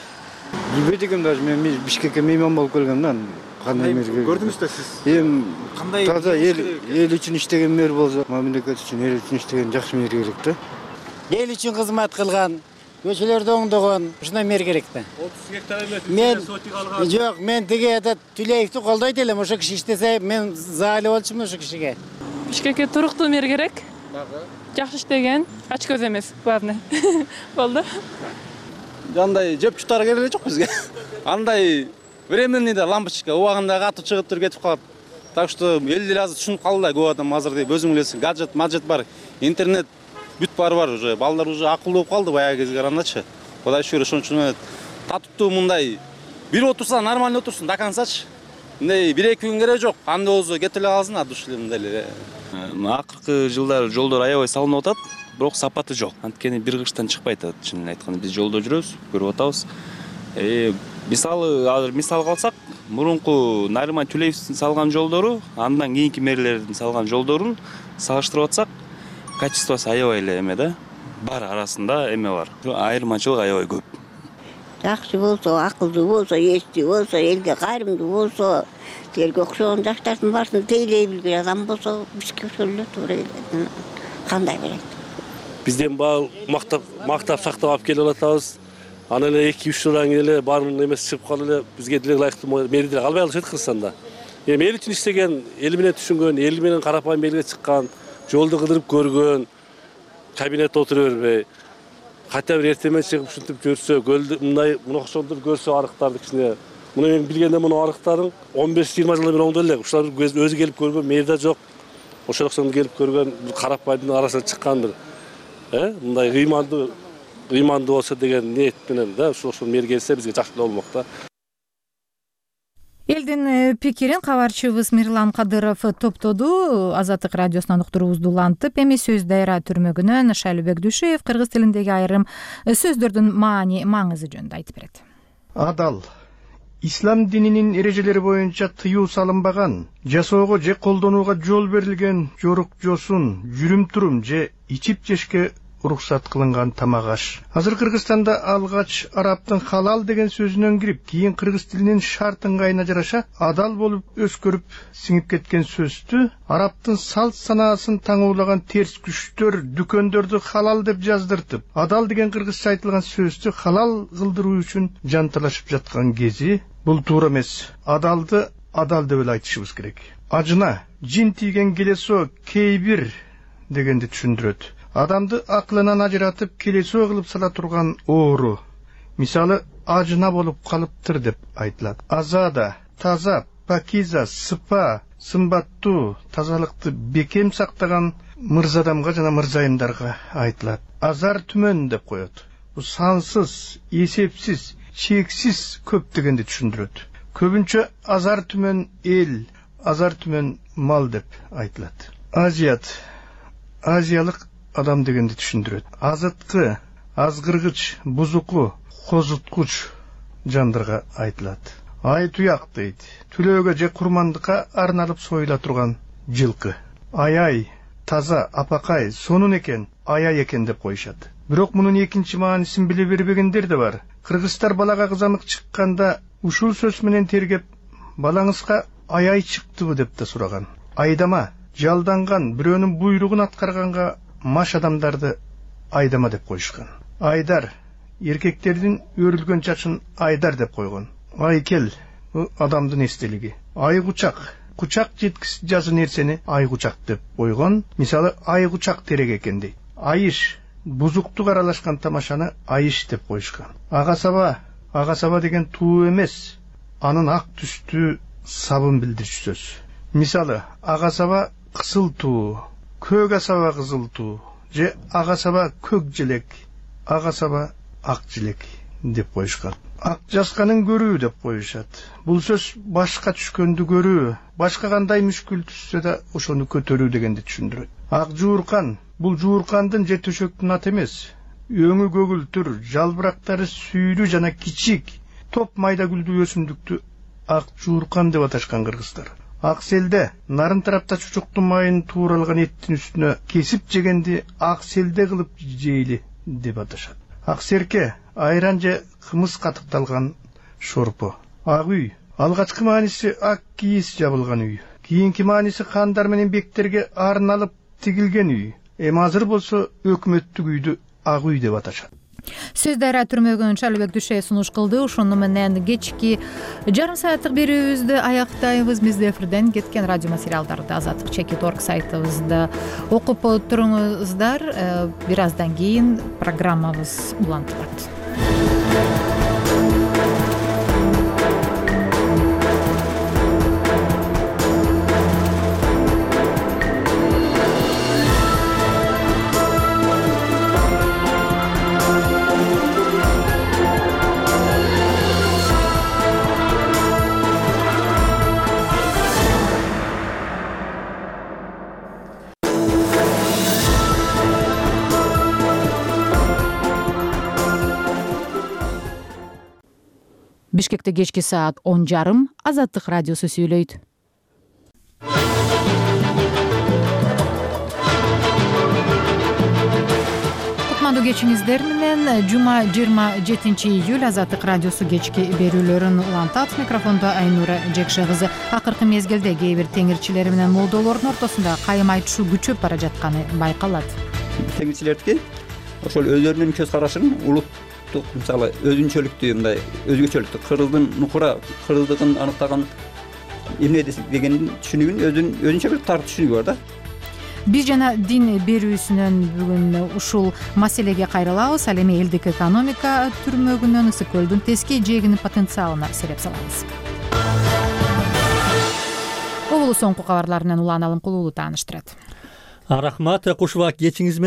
Speaker 20: Билбейт экенмин даже, мен Бишкекке мейман болуп келгем да. Кандай мэр керек?
Speaker 10: Көрдүңүз да сиз?
Speaker 20: Эми
Speaker 10: кандай
Speaker 20: таза эл эл үчүн иштеген мэр болсо, мамлекет үчүн, эл үчүн иштеген жакшы мэр керек да.
Speaker 21: Эл үчүн кызмат кылган, көчөлөрдү оңдогон, ушундай мэр керек да.
Speaker 10: отуз гектар эмес,
Speaker 21: мен
Speaker 10: сотик алган.
Speaker 21: Жок, мен тиги этот Түлеевди колдойт элем, ошо киши иштесе, мен заалы болчумун ошо кишиге.
Speaker 22: Бишкекке туруктуу мэр керек. Жакшы иштеген, ач көз эмес, главное. Болду.
Speaker 6: андай жеп жутары керек эле жок бизге. Андай временный да лампочка убагында катып чыгып туруп кетип калат. Так что эл деле азыр түшүнүп калды да, көп адам азыр деп өзүң билесиң, гаджет, маджет бар, интернет бүт баары бар уже. Балдар уже акылдуу болуп калды баягы кезге карагандачы. Кудай шүгүр, ошон үчүн татыптуу мындай бир отурса нормально отурсун до концачы. Мындай бир эки күн кереги жок. Анда болсо кетип эле калсын, а душ эле мындай эле. Акыркы жылдары жолдор аябай салынып атат, бирок сапаты жок. Анткени бир кыштан чыкпайт атат, чынын айтканда. Биз жолдо жүрөбүз, көрүп атабыз. Э, мисалы, азыр мисал калсак, мурунку Нариман Тюлеевдин салган жолдору, андан кийинки мэрлердин салган жолдорун салыштырып атсак, качествосу аябай эле эме да. Бар арасында эме бар. Айырмачылык аябай көп.
Speaker 7: Жакшы болсо, акылдуу болсо, эстүү болсо, элге кайрымдуу болсо, элге окшогон жаштардын баарсын тейлей билген адам болсо, бизге ошол эле туура эле. Кандай берет?
Speaker 23: Бизден баал мактап, мактап сактап алып келип атабыз. Аны эле эки үч жылдан кийин эле баарын эмеси чыгып калып эле бизге деле ылайыктуу мери деле албай калышат Кыргызстанда. Эми эл үчүн иштеген, эл менен түшүнгөн, эл менен карапайым элге чыккан, жолду кыдырып көргөн, кабинетте отура бербей, хотя бир эртемен чыгып ушинтип көрсө, көлдү мындай мына ошондур көрсө арыктарды кичине. Муну мен билгенде муну арыктарын он беш жыйырма жылдан бери оңдой элек. Ушулар өзү келип көргөн мери да жок. Ошол окшоң келип көргөн карапайымдын арасына чыккан бир э мындай ыймандуу ыймандуу болсо деген ниет менен да ушул ошол мери келсе бизге жакшы болмок да.
Speaker 1: Элдин пикирин кабарчыбыз Мирлан Кадыров топтоду. Азаттык радиосунан уктуруубузду улантып, эми сөз дайра түрмөгүнөн Шайлыбек Дүйшөев кыргыз тилиндеги айрым сөздөрдүн маани маңызы жөнүндө айтып берет.
Speaker 24: Адал ислам дининин эрежелери боюнча тыюу салынбаган, жасоого же колдонууга жол берилген жорук жосун, жүрүм-турум же ичип жешке уруксат кылынган тамак аш. Азыр Кыргызстанда алгач арабтын халал деген сөзүнөн кирип, кийин кыргыз тилинин шарт ыңгайына жараша адал болуп өскөрүп сиңип кеткен сөздү арабтын салт санаасын таңуулаган терс күчтөр дүкөндөрдү халал деп жаздыртып, адал деген кыргызча айтылган сөздү халал кылдыруу үчүн жанталашып жаткан кези бул туура эмес. Адалды адал деп эле айтышыбыз керек. Ажына жин тийген келесо кейбир дегенди түшүндүрөт. Адамды акылынан ажыратып келесоо кылып сала турган оору. Мисалы ажына болуп калыптыр деп айтылат. Азада, таза, пакиза, сыпа, сымбаттуу, тазалыкты бекем сактаган мырзадамга жана мырзайымдарга айтылат. Азар түмөн деп коет. Бул сансыз, эсепсиз, чексиз көп дегенди түшүндүрөт. Көбүнчө азар түмөн эл, азар түмөн мал деп айтылат. Азият, азиялык адам дегенди түшүндүрөт. Азыткы, азгыргыч, бузуку, козуткуч жандарга айтылат. Ай туяк дейт. Түлөөгө же курмандыкка арналып союла турган жылкы. Аяй, таза, апакай, сонун экен, аяй экен деп коюшат. Бирок мунун экинчи маанисин биле бербегендер да бар. Кыргыздар балага кызамык чыкканда ушул сөз менен тергеп, балаңызга аяй чыктыбы деп да сураган. Айдама, жалданган, бирөөнүн буйругун аткарганга маш адамдарды айдама деп коюшкан. Айдар, эркектердин өрүлгөн чачын айдар деп койгон. Айкел, адамдын эстелиги. Айгучак, кучак жеткис жазы нерсени айгучак деп койгон. Мисалы айгучак терек экен дейт. Айыш, бузуктук аралашкан тамашаны айыш деп коюшкан. Ага саба, ага саба деген туу эмес, анын ак түстүү сабын билдирчү сөз. Мисалы ага саба кысыл туу, көк асаба кызыл туу, же ага саба көк желек, ага саба ак желек деп коюшкан. Ак жасканын көрүү деп коюшат. Бул сөз башка түшкөндү көрүү, башка кандай мүшкүл түшсө да ошону көтөрүү дегенди түшүндүрөт. Ак жууркан, бул жууркандын же төшөктүн аты эмес. Өңү көгүлтүр, жалбырактары сүйрүү жана кичик, топ майда гүлдүү өсүмдүктү ак жууркан деп аташкан кыргыздар. Ак селде, нарын тарапта чучуктун майын тууралган эттин үстүнө кесип жегенди ак селде кылып жейли деп аташат. Ак серке, айран же кымыз катыкталган шорпо. Ак үй, алгачкы мааниси ак кийиз жабылган үй. Кийинки мааниси хандар менен бектерге арналып тигилген үй. Эми азыр болсо өкмөттүк үйдү ак үй деп аташат.
Speaker 1: Сөз дайра түрмөгүн Шайлыбек Дүйшөев сунуш кылды. Ошону менен кечки жарым сааттык берүүбүздү аяктайбыз. Бизде эфирден кеткен радио материалдарды азаттык чекит точка орг сайтыбызда окуп туруңуздар. Бир аздан кийин программабыз улантылат. Бишкекте кечки саат он жарым Азаттык радиосу сүйлөйт. Кутмандуу кечиңиздер менен жума жыйырма жетинчи июль Азаттык радиосу кечки берүүлөрүн улантат. Микрофондо Айнура Жекше кызы. Акыркы мезгилде кээ бир теңирчилер менен молдолордун ортосунда кайым айтышуу күчөп бара жатканы байкалат.
Speaker 2: Теңирчилердики ошол өздөрүнүн көз карашын улуттук, мисалы өзүнчөлүктү, мындай өзгөчөлүктү, кыргыздын нукура кыргыздыгын аныктаган эмне дегендин түшүнүгүн өзүнүн өзүнчө бир тар түшүнүгү бар да.
Speaker 1: Биз жана дин берүүсүнөн бүгүн ушул маселеге кайрылабыз. Ал эми элдик экономика түрмөгүнөн Ысык көлдүн теске жээгинин потенциалына сереп салабыз. Обулу соңку кабарлар менен Улан Алымкулуулу тааныштырат.
Speaker 5: Рахмат, кушубак кечиңиз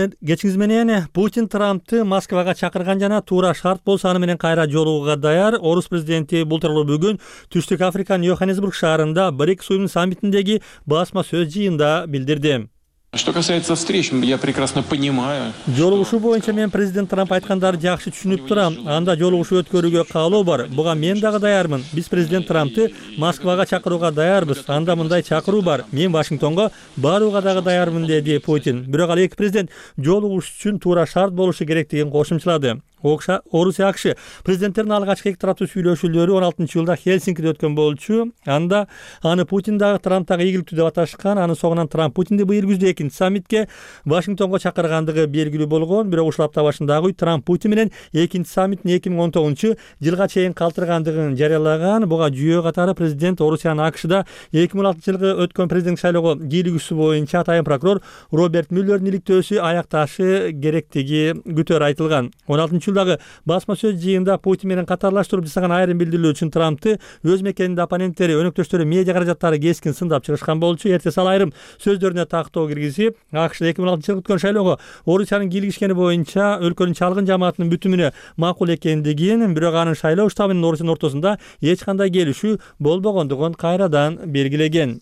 Speaker 5: менен. Путин Трампты Москвага чакырган жана туура шарт болсо аны менен кайра жолугууга даяр. Орус президенти бул тууралуу бүгүн Түштүк Африканын Йоханнесбург шаарында БРИКС уюмунун саммитиндеги басма сөз жыйында билдирди.
Speaker 8: Что касается встреч, я прекрасно понимаю.
Speaker 5: Жолугушуу боюнча мен президент Трамп айткандарды жакшы түшүнүп турам. Анда жолугушуу өткөрүүгө каалоо бар. Буга мен дагы даярмын. Биз президент Трампты Москвага чакырууга даярбыз. Анда мындай чакыруу бар. Мен Вашингтонго барууга дагы даярмын, деди Путин. Бирок ал эки президент жолугуш үчүн туура шарт болушу керектигин кошумчалады. Орусия АКШ президенттердин алгачкы эки тараптуу сүйлөшүүлөрү он алтынчы жылда Хельсинкиде өткөн болчу. Анда аны Путин дагы Трамп дагы ийгиликтүү деп аташкан. Анын соңунан Трамп Путинди быйыл күздө экинчи саммитке Вашингтонго чакыргандыгы белгилүү болгон. Бирок ушул апта башындагы Трамп Путин менен экинчи саммитин эки миң он тогузунчу жылга чейин калтыргандыгын жарыялаган. Буга жүйө катары президент Орусиянын АКШда эки миң он алтынчы жылгы өткөн президенттик шайлоого кийлигүүсү боюнча атайын прокурор Роберт Мюллердин иликтөөсү аякташы керектиги күтөр айтылган. он алтынчы жылдагы басма сөз жыйында Путин менен катарлаштырып жасаган айрым билдирүүлөр үчүн Трампты өз мекенинде оппоненттери, өнөктөштөрү медиа каражаттары кескин сындап чыгышкан болчу. Эртеси ал айрым сөздөрүнө тактоо киргизип, АКШда эки миң он алтынчы жылы өткөн шайлоого Орусиянын кийлигишкени боюнча өлкөнүн чалгын жамаатынын бүтүмүнө макул экендигин, бирок анын шайлоо штабы менен Орусиянын ортосунда эч кандай келишүү болбогондугун кайрадан белгилеген.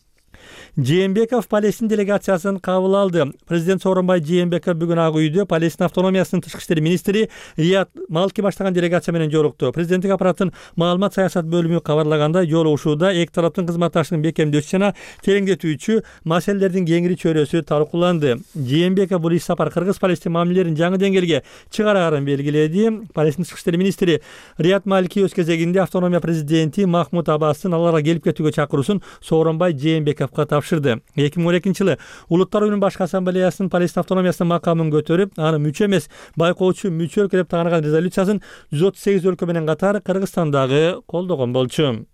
Speaker 5: Жээнбеков Палестин делегациясын кабыл алды. Президент Сооронбай Жээнбеков бүгүн Ак үйдө Палестин автономиясынын тышкы иштер министри Рият Малки баштаган делегация менен жолукту. Президенттик аппараттын маалымат саясат бөлүмү кабарлагандай, жолугушууда эки тараптын кызматташтыгын бекемдөөчү жана тереңдетүүчү маселелердин кеңири чөйрөсү талкууланды. Жээнбеков бул иш сапар кыргыз-палестин мамилелерин жаңы деңгээлге чыгарарын белгиледи. Палестин тышкы иштер министри Рият Малки өз кезегинде автономия президенти Махмуд Аббастын аларга келип кетүүгө чакыруусун Сооронбай Жээнбековго тапшырды. эки миң он экинчи жылы Улуттар уюмунун башкы ассамблеясынын Палестин автономиясынын макамын көтөрүп, аны мүчө эмес, байкоочу мүчө өлкө деп тааныган резолюциясын жүз отуз сегиз өлкө менен катар Кыргызстандагы колдогон болчу.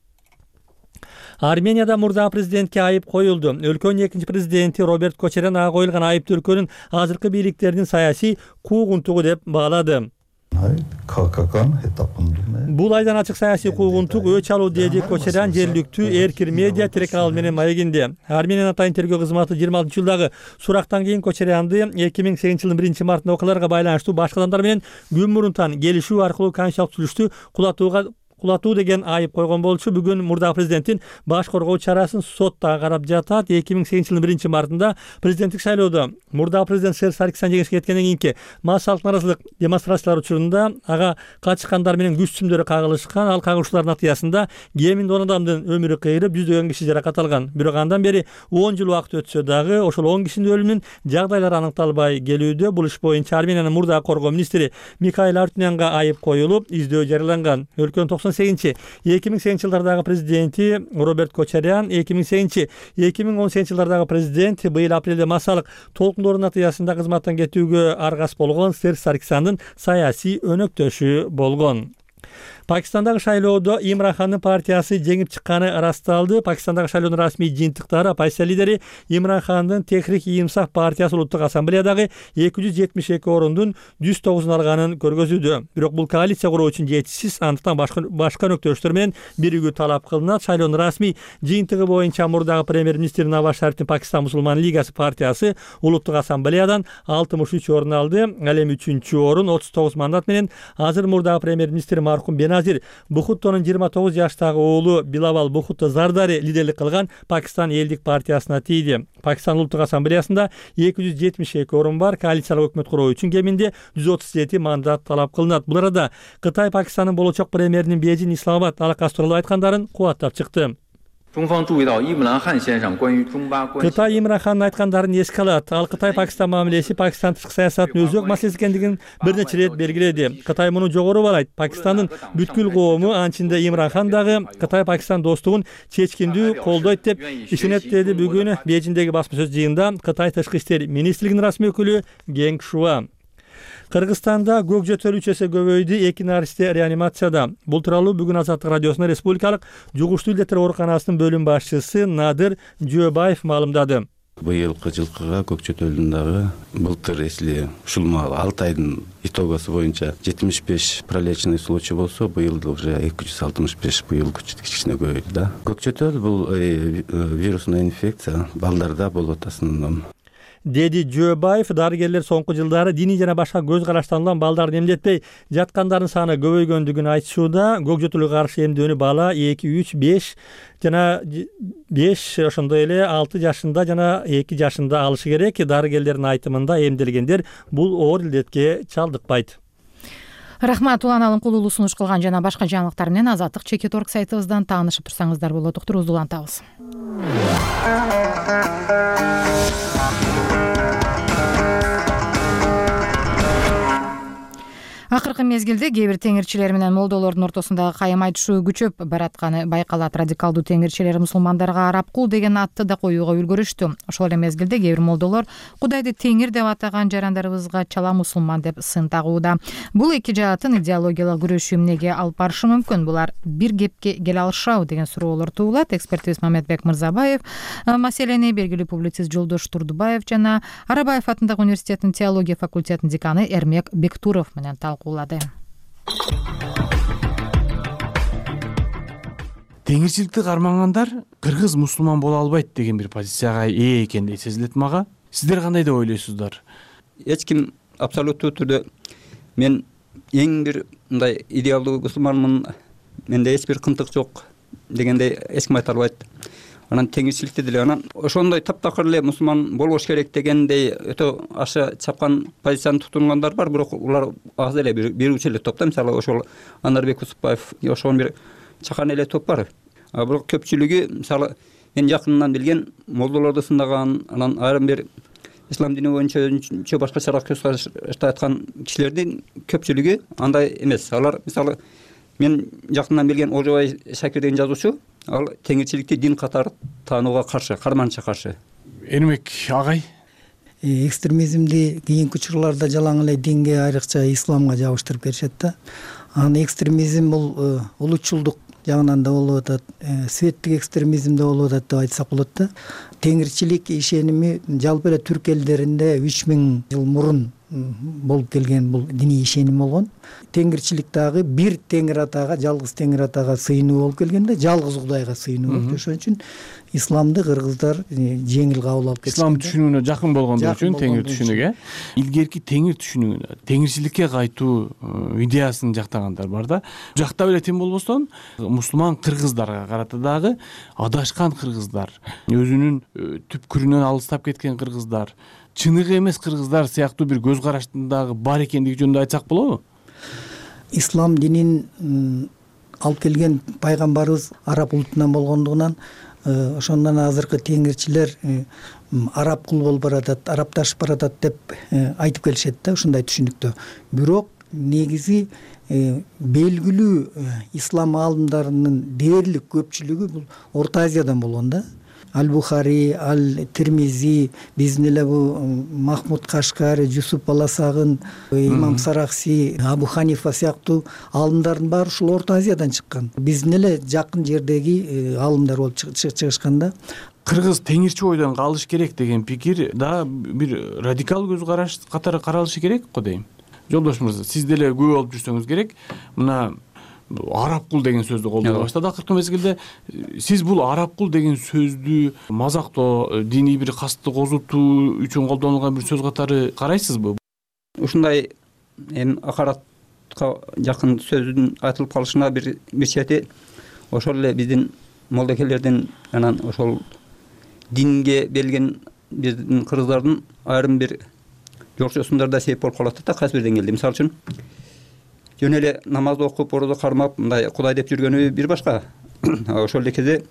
Speaker 5: Арменияда мурдагы президентке айып коюлду. Өлкөнүн экинчи президенти Роберт Кочарян ага коюлган айыпты өлкөнүн азыркы бийликтеринин саясий куугунтугу деп баалады. Бул айдан ачык саясий куугунтук өч алуу, деди Кочарян жергиликтүү Эркир медиа телеканалы менен маегинде. Армениянын атайын тергөө кызматы жыйырма алтынчы жылдагы сурактан кийин Кочарянды эки миң сегизинчи жылдын биринчи мартында окуяларга байланыштуу башка адамдар менен күн мурунтан келишүү аркылуу конституциялык түзүлүштү кулатууга кулатуу деген айып койгон болчу. Бүгүн мурдагы президенттин баш коргоо чарасын сотта карап жатат. эки миң сегизинчи жылдын биринчи мартында президенттик шайлоодо мурдагы президент Серж Саркисян жеңишке жеткенден кийинки массалык нааразылык демонстрациялар учурунда ага качкандар менен күч сүмдөрү кагылышкан. Ал кагылышуулардын натыйжасында кеминде он адамдын өмүрү кыйрып, жүздөгөн киши жаракат алган. Бирок андан бери он жыл убакыт өтсө дагы ошол он кишинин өлүмүнүн жагдайлары аныкталбай келүүдө. Бул иш боюнча Армениянын мурдагы коргоо министри Михаил Артюнянга айып коюлуп, издөө жарыяланган. Өлкөнүн токсон сегизинчи эки миң сегизинчи жылдардагы президенти Роберт Кочарян, эки миң сегизинчи эки миң он сегизинчи жылдардагы президент быйыл апрелде массалык толкундоордун натыйжасында кызматтан кетүүгө аргас болгон Серж Саркисяндын саясий өнөктөшү болгон. Пакистандагы шайлоодо Имран Хандын партиясы жеңип чыкканы ырасталды. Пакистандагы шайлоонун расмий жыйынтыктары оппозиция лидери Имран Хандын Техрик-и-Инсаф партиясы улуттук ассамблеядагы эки жүз жетимиш эки орундун жүз тогузун алганын көргөзүүдө. Бирок бул коалиция куруу үчүн жетишсиз, андыктан башка башка өнөктөштөр менен биригүү талап кылынат. Шайлоонун расмий жыйынтыгы боюнча мурдагы премьер-министр Наваз Шарифтин Пакистан мусулман лигасы партиясы улуттук ассамблеядан алтымыш үч орун алды. Ал эми үчүнчү орун отуз тогуз мандат менен азыр мурдагы премьер-министр маркум Беназир Беназир Бухуттонун жыйырма тогуз жаштагы уулу Билавал Бухутто Зардари лидерлик кылган Пакистан элдик партиясына тийди. Пакистан улуттук ассамблеясында эки жүз жетимиш эки орун бар. Коалициялык өкмөт куруу үчүн кеминде жүз отуз жети мандат талап кылынат. Бул арада Кытай Пакистанын болочок премьеринин Бейжин Исламабад алакасы тууралуу айткандарын кубаттап чыкты. Кытай Имран Хандын айткандарын эске алат. Ал Кытай Пакистан мамилеси Пакистан тышкы саясатынын өзөк маселеси экендигин бир нече ирет белгиледи. Кытай муну жогору баалайт. Пакистандын бүткүл коому, анчинде Имран Хан дагы Кытай Пакистан достугун чечкиндүү колдойт деп ишенет, деди бүгүн Бейжиндеги басма сөз жыйынында Кытай тышкы иштер министрлигинин расмий өкүлү Генг Шуа. Кыргызстанда көк жөтөл үч эсе көбөйдү, эки наристе реанимацияда. Бул тууралуу бүгүн Азаттык радиосунун республикалык жугуштуу илдеттер ооруканасынын бөлүм башчысы Надыр Жөөбаев маалымдады.
Speaker 9: Быйылкы жылкыга көк жөтөлдүн дагы былтыр эсли ушул алты айдын итогосу боюнча жетимиш беш пролеченный случай болсо, быйыл уже эки жүз алтымыш беш, быйыл кичине көбөйдү да. Көк жөтөл бул вирусный инфекция, балдарда болот основном.
Speaker 5: Деди Жөөбаев, дарыгерлер соңку жылдары диний жана башка көз караштан балдарды эмдетпей жаткандардын саны көбөйгөндүгүн айтышууда. Көк жөтөлгө каршы эмдөөнү бала эки, үч, беш жана беш, ошондой эле алты жашында жана эки жашында алышы керек. Дарыгерлердин айтымында эмделгендер бул оор илдетке чалдыкпайт.
Speaker 1: Рахмат, Улан Алымкулуулу сунуш кылган жана башка жаңылыктар менен Азаттык чекит орг сайтыбыздан таанышып турсаңыздар болот. Уктуруубузду улантабыз. Акыркы мезгилде кээ бир теңирчилер менен молдолордун ортосундагы кайым айтышуу күчөп баратканы байкалат. Радикалдуу теңирчилер мусулмандарга арабкул деген атты да коюуга үлгүрүштү. Ошол эле мезгилде кээ бир молдолор Кудайды теңир деп атаган жарандарыбызга чала мусулман деп сын тагууда. Бул эки жааттын идеологиялык күрөшү эмнеге алып барышы мүмкүн? Булар бир кепке келе алышабы деген суроолор туулат. Экспертибиз Мамедбек Мырзабаев маселени белгилүү публицист Жолдош Турдубаев жана Арабаев атындагы университеттин теология факультетинин деканы Эрмек Бектуров менен талкуулады.
Speaker 12: Теңирчиликти кармагандар кыргыз мусулман боло албайт деген бир позицияга ээ экендей сезилет мага. Сиздер кандай деп ойлойсуздар?
Speaker 2: Эч ким абсолюттуу түрдө мен эң бир мындай идеалдуу мусулманмын, менде эч бир кымтык жок дегендей эч ким айта албайт. Анан теңирчиликти деле анан ошондой таптакыр эле мусулман болбош керек дегендей өтө аша чапкан позицияны тутунгандар бар, бирок улар аз эле бирүүчү эле топ да. Мисалы ошол Анарбек Усупбаев ошон бир чакан эле топ бар. А бирок көпчүлүгү, мисалы мен жакынынан билген молдолорду сындаган, анан айрым бир ислам дини боюнча өзүнчө башкачараак көз карашта айткан кишилердин көпчүлүгү андай эмес. Алар мисалы мен жакындан билген Ожобай Шакир деген жазуучу, ал теңирчиликти дин катары таанууга каршы, карманча каршы.
Speaker 12: Эрмек агай,
Speaker 13: экстремизмди кийинки учурларда жалаң эле динге, айрыкча исламга жабыштырып беришет да. Анан экстремизм бул улутчулдук жагынан да болуп атат, светтик экстремизм да болуп атат деп айтсак болот да. Теңирчилик ишеними жалпы эле түрк элдеринде үч миң жыл мурун болуп келген бул диний ишеним болгон. Теңирчилик дагы бир теңир атага, жалгыз теңир атага сыйынуу болуп келген да, жалгыз Кудайга сыйынуу болуп. Ошон үчүн исламды кыргыздар жеңил кабыл алып кетишкен.
Speaker 12: Ислам түшүнүгүнө жакын болгондор үчүн теңир түшүнүгү. Илгерки теңир түшүнүгүнө, теңирчиликке кайтуу идеясын жактагандар бар да. Жактап эле тим болбостон, мусулман кыргыздарга карата дагы адашкан кыргыздар, өзүнүн түпкүрүнөн алыстап кеткен кыргыздар, чыныгы эмес кыргыздар сыяктуу бир көз караштындагы бар экендиги жөнүндө айтсак болобу?
Speaker 13: Ислам динин алып келген пайгамбарыбыз араб улутунан болгондугунан, ошондон азыркы теңирчилер араб кул болуп баратат, арабташып баратат деп айтып келишет да, ушундай түшүнүктө. Бирок негизи белгилүү ислам аалымдарынын дээрлик көпчүлүгү бул Орто Азиядан болгон да. Аль-Бухари, Аль-Тирмизи, биздин эле бу Махмуд Кашкари, Жусуп Баласагын, Имам Сарахси, Абу Ханифа сыяктуу аалымдардын баары ушул Орто Азиядан чыккан. Биздин эле жакын жердеги аалымдар болуп чыгышкан да.
Speaker 12: Кыргыз теңирчи ойдон калыш керек деген пикир да бир радикал көз караш катары каралышы керек го дейм. Жолдош мырза, сиз деле күбө болуп жүрсөңүз керек. Мына араб кул деген сөздү колдоно баштады акыркы мезгилде. Сиз бул араб кул деген сөздү мазактоо, диний бир касты козутуу үчүн колдонулган бир сөз катары карайсызбы?
Speaker 2: Ушундай эми акарат улутка жакын сөздүн айтылып калышына бир бир чети ошол эле биздин молдокелердин анан ошол динге берилген биздин кыргыздардын айрым бир жорчосундар да себеп болуп калат да кайсы бир деңгээлде. Мисалы үчүн жөн эле намазды окуп, орозо кармап, мындай Кудай деп жүргөнү бир башка. Ошол эле кезде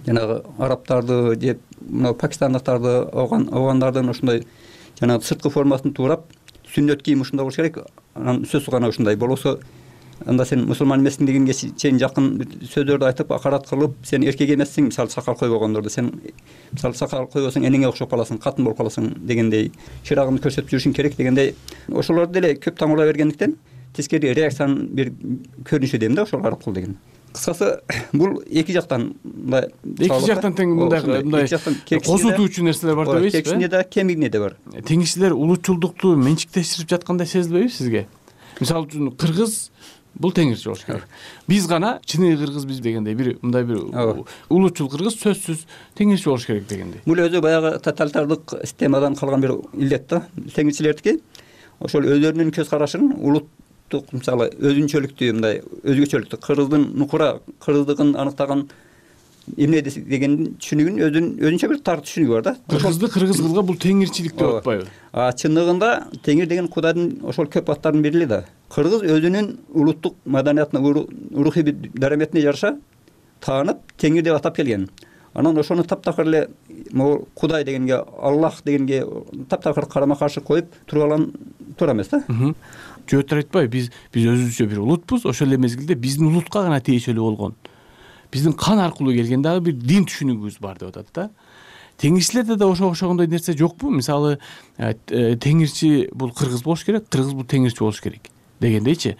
Speaker 2: жанагы арабтарды же мына пакистандыктарды, афгандардын ошондой жанагы сырткы формасын туурап, сүннөт кийим ушундай болуш керек, анан сөзсүз гана ушундай болбосо анда сен мусулман эмессиң дегенге чейин жакын сөздөрдү айтып, акарат кылып, сен эркек эмессиң, мисалы сакал койбогондорду, сен мисалы сакал койбосоң энеңе окшоп каласың, катын болуп каласың дегендей, чырагыңды көрсөтүп жүрүшүң керек дегендей, ошолорду деле көп таңуулай бергендиктен тескери реакциянын бир көрүнүшү дейм да ошол аркылуу деген. Кыскасы бул эки жактан мындай
Speaker 12: эки жактан тең мындай мындай козутуучу нерселер бар деп ийсизби?
Speaker 2: Кекшине да, кемигине да бар.
Speaker 12: Теңирчилер улутчулдукту менчиктештирип жаткандай сезилбейби сизге? Мисалы үчүн кыргыз бул теңирчи болуш керек. Биз гана чыныгы кыргыз биз дегендей бир мындай бир улутчул кыргыз сөзсүз теңирчи болуш керек дегендей.
Speaker 2: Бул өзү баягы тоталитардык системадан калган бир илет да. Теңирчилердики ошол өздөрүнүн көз карашын улуттук, мисалы өзүнчөлүктү, мындай өзгөчөлүктү, кыргыздын нукура кыргыздыгын аныктаган эмне дегендин түшүнүгүн өзүнүн өзүнчө бир тар түшүнүгү бар да.
Speaker 12: Кыргызды кыргыз кылга бул теңирчилик деп атпайбы?
Speaker 2: А чындыгында теңир деген Кудайдын ошол көп аттарынын бири да. Кыргыз өзүнүн улуттук маданиятына, рухий дараметине жараша таанып теңир деп атап келген. Анан ошону таптакыр эле могу Кудай дегенге, Аллах дегенге таптакыр карама каршы коюп туруп алган туура эмес да.
Speaker 12: Жөөтөр айтпайбы, биз биз өзүбүзчө бир улутпуз, ошол эле мезгилде биздин улутка гана тиешелүү болгон, биздин кан аркылуу келген дагы бир дин түшүнүгүбүз бар деп атат да. Теңирчилерде да ошо ошогондой нерсе жокпу? Мисалы теңирчи бул кыргыз болуш керек, кыргыз бул теңирчи болуш керек дегендейчи.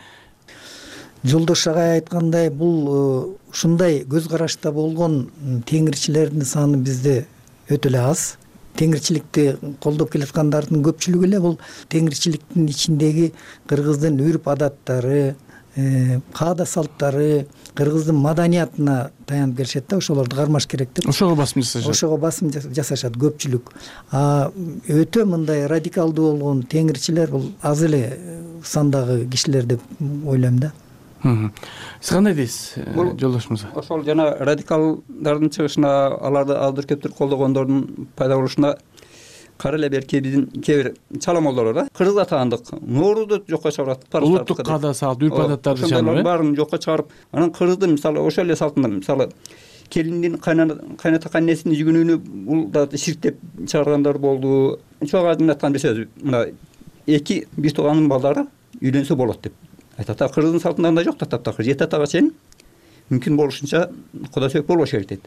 Speaker 13: Жолдош агай айткандай, бул ушундай көз карашта болгон теңирчилердин саны бизде өтө эле аз. Теңирчиликти колдоп келаткандардын көпчүлүгү эле бул теңирчиликтин ичиндеги кыргыздын үрп адаттары, каада салттары, кыргыздын маданиятына таянып келишет да, ошолорду кармаш керек деп.
Speaker 12: Ошого басым жасашат.
Speaker 13: Ошого басым жасашат көпчүлүк. А өтө мындай радикалдуу болгон теңирчилер бул аз эле сандагы кишилер деп ойлойм да.
Speaker 12: Сиз кандай дейсиз, жолдош мырза?
Speaker 2: Ошол жана радикалдардын чыгышына, аларды алдыр көптүр колдогондордун пайда болушуна кара эле берки биздин кээ бир чала молдолор да кыргызга таандык ноорузду жокко чыгарат.
Speaker 12: Улуттук каада салт, үрп адаттарды чыгарып,
Speaker 2: баарын жокко чыгарып, анан кыргыздын мисалы ошол эле салтында мисалы келиндин кайната кайнесинин жүгүнүүнү бул да ширк деп чыгаргандар болду. Чоң айдын айткан бир сөз, мына эки бир тууганын балдары үйлөнсө болот деп айтат. Кыргыздын салтында андай жок да, таптакыр жети атага чейин мүмкүн болушунча кудай сөйк болбош керек дейт.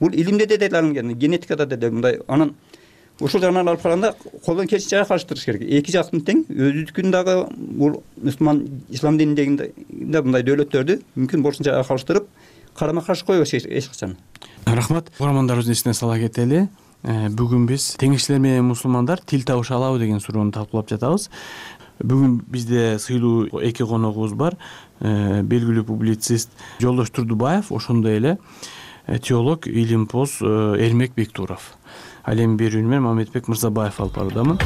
Speaker 2: Бул илимде да делалынган, генетикада да мындай. Анан ушул жагынан алып караганда колдон келишинче айкалыштырыш керек. Эки жактын тең, өзүдүкүн дагы бул мусулман ислам дининдеги мындай дөөлөттөрдү мүмкүн болушунча айкалыштырып, карама каршы койбош эч качан.
Speaker 12: Рахмат. Угармандарыбыздын эсине сала кетели. Бүгүн биз теңирчилер менен мусулмандар тил табыша алабы деген суроону талкуулап жатабыз. Бүгүн бизде сыйлуу эки коногубуз бар. Белгилүү публицист Жолдош Турдубаев, ошондой эле теолог, илимпоз Эрмек Бектуров. Ал эми берүүнү мен Мамедбек Мырзабаев алып баруудамын.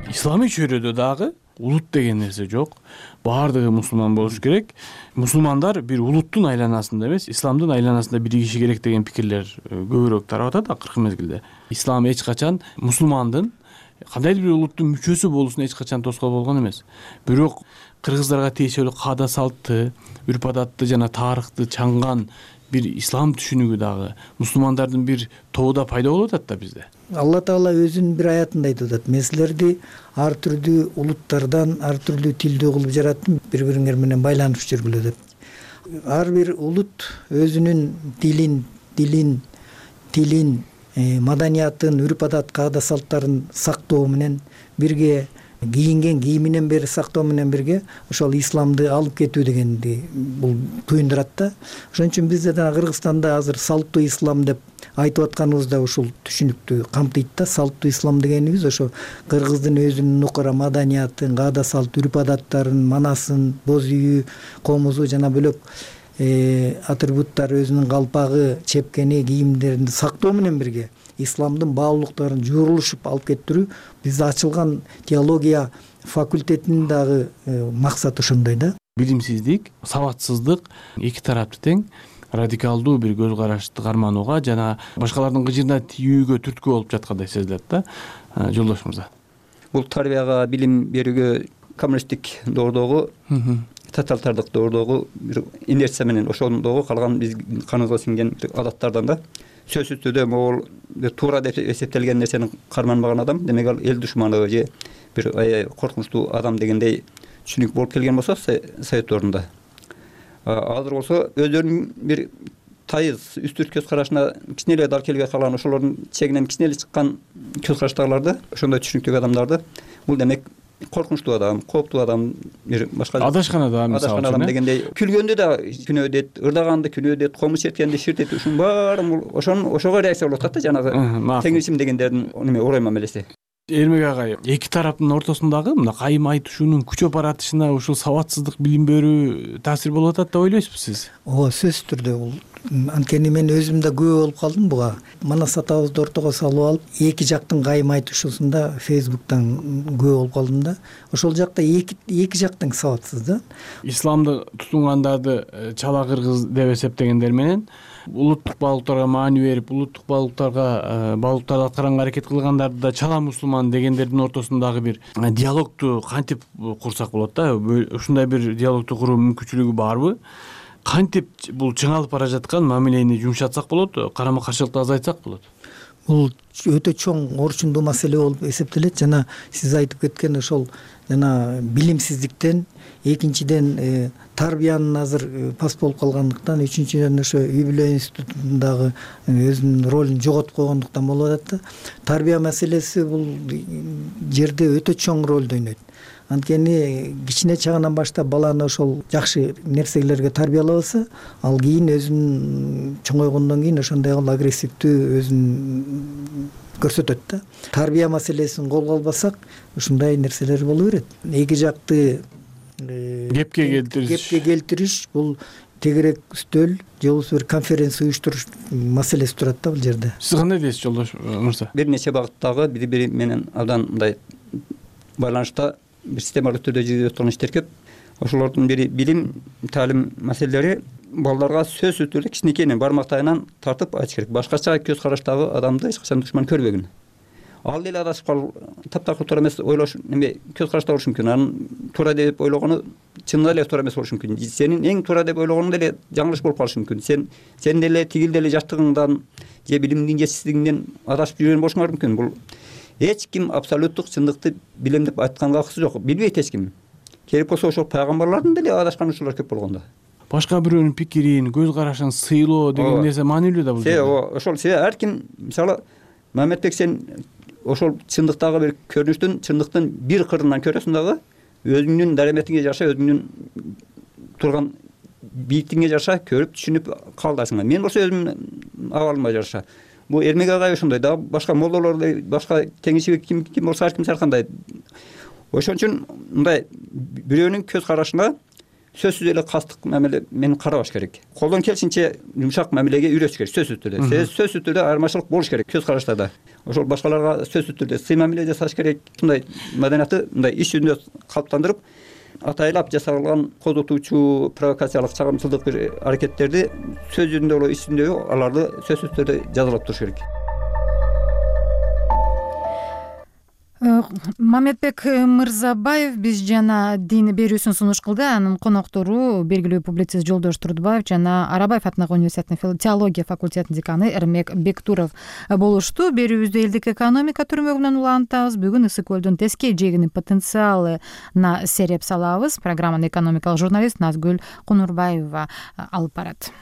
Speaker 12: Исламий чөйрөдө дагы улут деген нерсе жок. Баардыгы мусулман болуш керек. Мусулмандар бир улуттун айланасында эмес, исламдын айланасында биригиши керек деген пикирлер көбүрөөк тарап атат акыркы мезгилде. Ислам эч качан мусулмандын кандайдыр бир улуттун мүчөсү болуусуна эч качан тоскоол болгон эмес. Бирок кыргыздарга тиешелүү каада салтты, үрп адатты жана тарыхты чаңган бир ислам түшүнүгү дагы мусулмандардын бир тобуда пайда болуп атат да бизде.
Speaker 13: Алла Таала өзүнүн бир аятында айтып атат: "Мен силерди ар түрдүү улуттардан, ар түрдүү тилдүү кылып жараттым, бири-бириңер менен байланышып жүргүлө" деп. Ар бир улут өзүнүн дилин, дилин, тилин, маданиятын, үрп адат, каада салттарын сактоо менен бирге, кийинген кийиминен бери сактоо менен бирге ошол исламды алып кетүү дегенди бул туюндурат да. Ошон үчүн бизде да Кыргызстанда азыр салттуу ислам деп айтып атканыбыз да ушул түшүнүктү камтыйт да. Салттуу ислам дегенибиз ошо кыргыздын өзүнүн нукура маданиятын, каада салт, үрп адаттарын, манасын, боз үйү, комузу жана бөлөк атрибуттар, өзүнүн калпагы, чепкени, кийимдерин сактоо менен бирге исламдын баалуулуктарын жуурулушуп алып кетирүү бизде ачылган теология факультетинин дагы максаты ошондой да.
Speaker 12: Билимсиздик, сабатсыздык эки тарапты тең радикалдуу бир көз карашты карманууга жана башкалардын кыжыына тийүүгө түрткү болуп жаткандай сезилет да. Жолдош мырза,
Speaker 2: бул тарбияга, билим берүүгө коммунисттик доордогу, тоталитардык доордогу бир инерция менен ошондогу калган биз каныбызга сиңген адаттардан да. Сөзсүз түрдө могул туура деп эсептелген нерсени карманбаган адам, демек ал эл душманы же бир аябай коркунучтуу адам дегендей түшүнүк болуп келген болсо совет ордунда. Азыр болсо өздөрүнүн бир тайыз үстүрт көз карашына кичине эле дал келбей калган, ошолордун чегинен кичине эле чыккан көз караштагыларды, ошондой түшүнүктөгү адамдарды бул демек коркунучтуу адам, кооптуу адам, бир башка
Speaker 12: адашкан адам,
Speaker 2: адашкан адам дегендей күлгөндө да күнөө дейт, ырдаганды күнөө дейт, комуз черткенди ширт дейт. Ушунун баары бул ошонун ошого реакция болуп атат да, жанагы теңирчим дегендердин неме орой мамилеси.
Speaker 12: Эрмек агай, эки тараптын ортосундагы мына кайым айтышуунун күчөп баратышына ушул сабатсыздык, билим берүү таасир болуп атат деп ойлойсузбу сиз?
Speaker 13: Ооба, сөзсүз түрдө бул. Анткени мен өзүм да күбө болуп калдым буга. Манас атабызды ортого салып алып, эки жактын кайым айтышуусунда Facebook'тан күбө болуп калдым да. Ошол жакта эки эки жактың сабатсыз да.
Speaker 12: Исламды тутунгандарды чала кыргыз деп эсептегендер менен улуттук баалуулуктарга маани берип, улуттук баалуулуктарга баалуулуктарды аткаранга аракет кылгандарды да чала мусулман дегендердин ортосундагы бир диалогту кантип курсак болот да? Ушундай бир диалогту куруу мүмкүнчүлүгү барбы? Кантип бул чыңалып бара жаткан мамилени жумшатсак болот, карама каршылыкты азайтсак болот?
Speaker 13: Бул өтө чоң орчундуу маселе болуп эсептелет. Жана сиз айтып кеткен ошол жана билимсиздиктен, экинчиден тарбиянын азыр пас болуп калгандыктан, үчүнчүдөн ошо үй бүлө институтундагы өзүнүн ролун жоготуп койгондуктан болуп атат да. Тарбия маселеси бул жерде өтө чоң ролду ойнойт. Анткени кичине чагынан баштап баланы ошол жакшы нерселерге тарбиялабаса, ал кийин өзүн чоңойгондон кийин ошондой агрессивдүү өзүн көрсөтөт да. Тарбия маселесин колго албасак, ушундай нерселер боло берет. Эки жакты
Speaker 12: кепке келтириш
Speaker 13: кепке келтириш бул тегерек үстөл же болбосо бир конференция уюштуруш маселеси турат да бул жерде.
Speaker 12: Сиз кандай дейсиз, Жолдош мырза?
Speaker 2: Бир нече багыттагы бири бири менен абдан мындай байланышта бир системалык түрдө жүрүп аткан иштер көп. Ошолордун бири билим, таалим маселелери балдарга сөзсүз түрдө кичинекейинен бармактайынан тартып айтыш керек. Башкача көз караштагы адамды эч качан душман көрбөгөн. Ал деле адашып калып, таптакыр туура эмес ойлош, неме көз карашта болушу мүмкүн. Анын туура деп ойлогону чынында эле туура эмес болушу мүмкүн. Сенин эң туура деп ойлогонуң деле жаңылыш болуп калышы мүмкүн. Сен сен деле тигил деле жаштыгыңдан же билимиңдин жетишсиздигиңден адашып жүргөн болушуңар мүмкүн. Бул эч ким абсолюттук чындыкты билем деп айтканга акысы жок. Билбейт эч ким. Керек болсо ошол пайгамбарлардын деле адашкан учурлары көп болгондо.
Speaker 12: Башка бирөөнүн пикирин, көз карашын сыйлоо деген нерсе маанилүү да бул жерде.
Speaker 2: Ооба, ошол себеби ар ким, мисалы, Мамедбек, сен ошол чындыктагы бир көрүнүштүн, чындыктын бир кырынан көрөсүң дагы, өзүңдүн дараметиңе жараша, өзүңдүн турган бийиктигиңе жараша көрүп, түшүнүп кабылдайсың. Мен болсо өзүмдүн абалыма жараша. Бул Эрмек агай ошондой да, башка молдолор, башка теңирчилик ким ким болсо ар ким ар кандай. Ошон үчүн мындай бирөөнүн көз карашына сөзсүз эле кастык мамиле менен карабаш керек. Колдон келишинче жумшак мамилеге үйрөтүш керек, сөзсүз түрдө. Сөзсүз түрдө айырмачылык болуш керек көз караштарда. Ошол башкаларга сөзсүз түрдө сый мамиле жасаш керек. Мындай маданиятты мындай иш жүзүндө калыптандырып, атайлап жасалган козотуучу провокациялык чагымчылдык бир аракеттерди сөз жүзүндө боло иш жүзүндө аларды сөзсүз түрдө жазалап туруш керек.
Speaker 1: Мамедбек Мырзабаев биз жана дин берүүсүн сунуш кылды. Анын коноктору белгилүү публицист Жолдош Турдубаев жана Арабаев атындагы университеттин теология факультетинин деканы Эрмек Бектуров болушту. Берүүбүздө элдик экономика түрмөгүнөн улантабыз. Бүгүн Ысык көлдүн теске жээгинин потенциалына сереп салабыз. Программаны экономикалык журналист Назгүл Кунурбаева алып барат.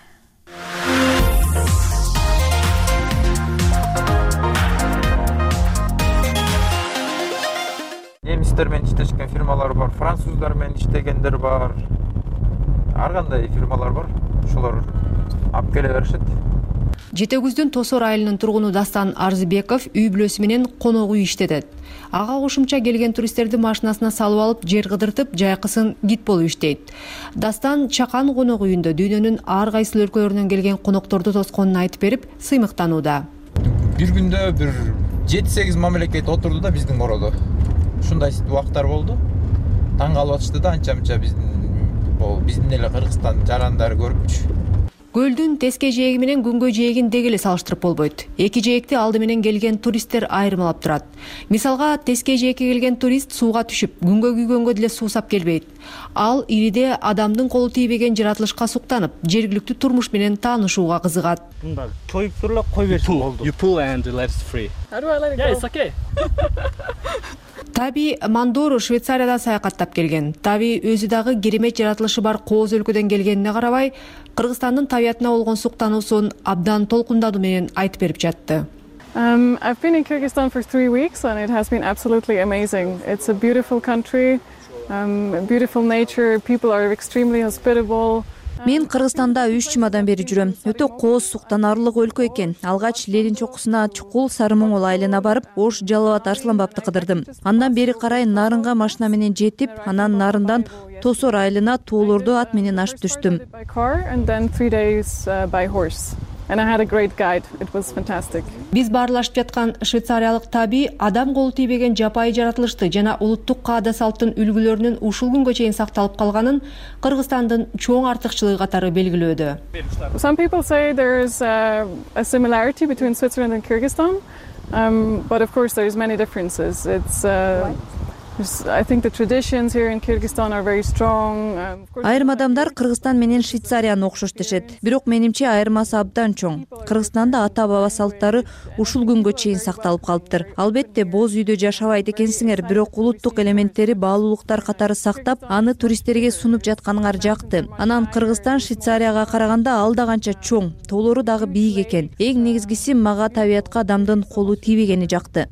Speaker 11: Немистер менен иштешкен фирмалар бар, француздар менен иштегендер бар. Ар кандай фирмалар бар. Ошолор алып келе беришет.
Speaker 14: Жете күздүн Тосор айылынын тургуну Дастан Арзыбеков үй бүлөсү менен конок үй иштетет. Ага кошумча келген туристтерди машинасына салып алып, жер кыдыртып, жайкысын гид болуп иштейт. Дастан Чакан конок үйүндө дүйнөнүн ар кайсы өлкөлөрүнөн келген конокторду тосконун айтып берип, сыймыктанууда.
Speaker 11: Бир күндө бир жети сегиз мамлекет отурду да биздин короодо. Ушундай убактар болду. таң калып атышты да анча мынча биздин бул биздин эле Кыргызстандын жарандары көрүпчү.
Speaker 14: Көлдүн теске жээги менен күнгө жээгин деги эле салыштырып болбойт. Эки жээкти алды менен келген туристтер айырмалап турат. Мисалга, теске жээкке келген турист сууга түшүп, күнгө күйгөнгө деле суусап келбейт. Ал ириде адамдын колу тийбеген жаратылышка суктанып, жергиликтүү турмуш менен таанышууга кызыгат.
Speaker 10: Мында чоюп туруп эле кой берсе болду. You pull and let it free.
Speaker 22: How do I let it go? Yeah, it's okay.
Speaker 14: Таби Мандору Швейцариядан саякаттап келген. Таби өзү дагы керемет жаратылышы бар кооз өлкөдөн келгенине карабай, Кыргызстандын табиятына болгон суктануусун абдан толкундадуу менен айтып берип жатты.
Speaker 22: Um, I've been in Kyrgyzstan for three weeks and it has been absolutely amazing. It's a beautiful country, um, beautiful nature, people are extremely hospitable.
Speaker 15: Мен Кыргызстанда үч жумадан бери жүрөм. Өтө кооз, суктанарлык өлкө экен. Алгач Ленин чокусуна чукул Сары Моңгол айылына барып, Ош Жалалбат Арсланбапты кыдырдым. Андан бери карай Нарынга машина менен жетип, анан Нарындан Тосор айылына тоолорду ат менен ашып түштүм.
Speaker 22: And I had a great guide. It was fantastic.
Speaker 14: Биз баарлашып жаткан швейцариялык таби адам колу тийбеген жапайы жаратылышты жана улуттук каада салттын үлгүлөрүнүн ушул күнгө чейин сакталып калганын Кыргызстандын чоң артыкчылыгы катары белгилөөдө.
Speaker 22: Some people say there's a, a similarity between Switzerland and Kyrgyzstan, um, but of course there's many differences. It's uh, I think the traditions here in Kyrgyzstan are very strong.
Speaker 15: Айрым адамдар Кыргызстан менен Швейцарияны окшош дешет. Бирок менимче айырмасы абдан чоң. Кыргызстанда ата-баба салттары ушул күнгө чейин сакталып калыптыр. Албетте боз үйдө жашабайт экенсиңер, бирок улуттук элементтери, баалуулуктар катары сактап, аны туристтерге сунуп жатканыңар жакты. Анан Кыргызстан Швейцарияга караганда ал да канча чоң, тоолору дагы бийик экен. Эң негизгиси мага табиятка адамдын колу тийбегени жакты.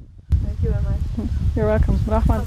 Speaker 22: You're welcome. Рахмат.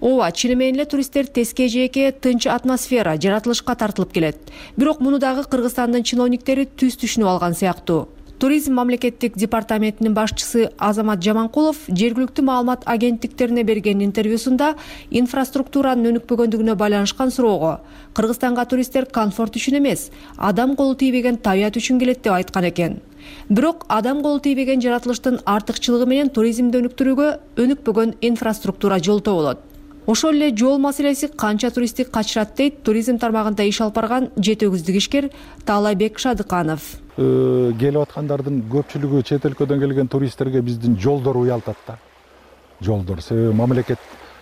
Speaker 14: Ооба, чын менен эле туристтер теске жээкке тынч атмосфера, жаратылышка тартылып келет. Бирок муну дагы Кыргызстандын чиновниктери түз түшүнүп алган сыяктуу. Туризм мамлекеттик департаментинин башчысы Азамат Жаманкулов жергиликтүү маалымат агенттиктерине берген интервьюсунда инфраструктуранын өнүкпөгөндүгүнө байланышкан суроого Кыргызстанга туристтер комфорт үчүн эмес, адам колу тийбеген табият үчүн келет деп айткан экен. Бирок адам колу тийбеген жаратылыштын артыкчылыгы менен туризмди өнүктүрүүгө өнүкпөгөн инфраструктура жолтоо болот. Ошол эле жол маселеси канча туристти качырат дейт туризм тармагында иш алып барган жети өгүздүк ишкер Таалайбек Шадыканов.
Speaker 16: Келип аткандардын көпчүлүгү чет өлкөдөн келген туристтерге биздин жолдор уялтат да. Жолдор, себеби мамлекет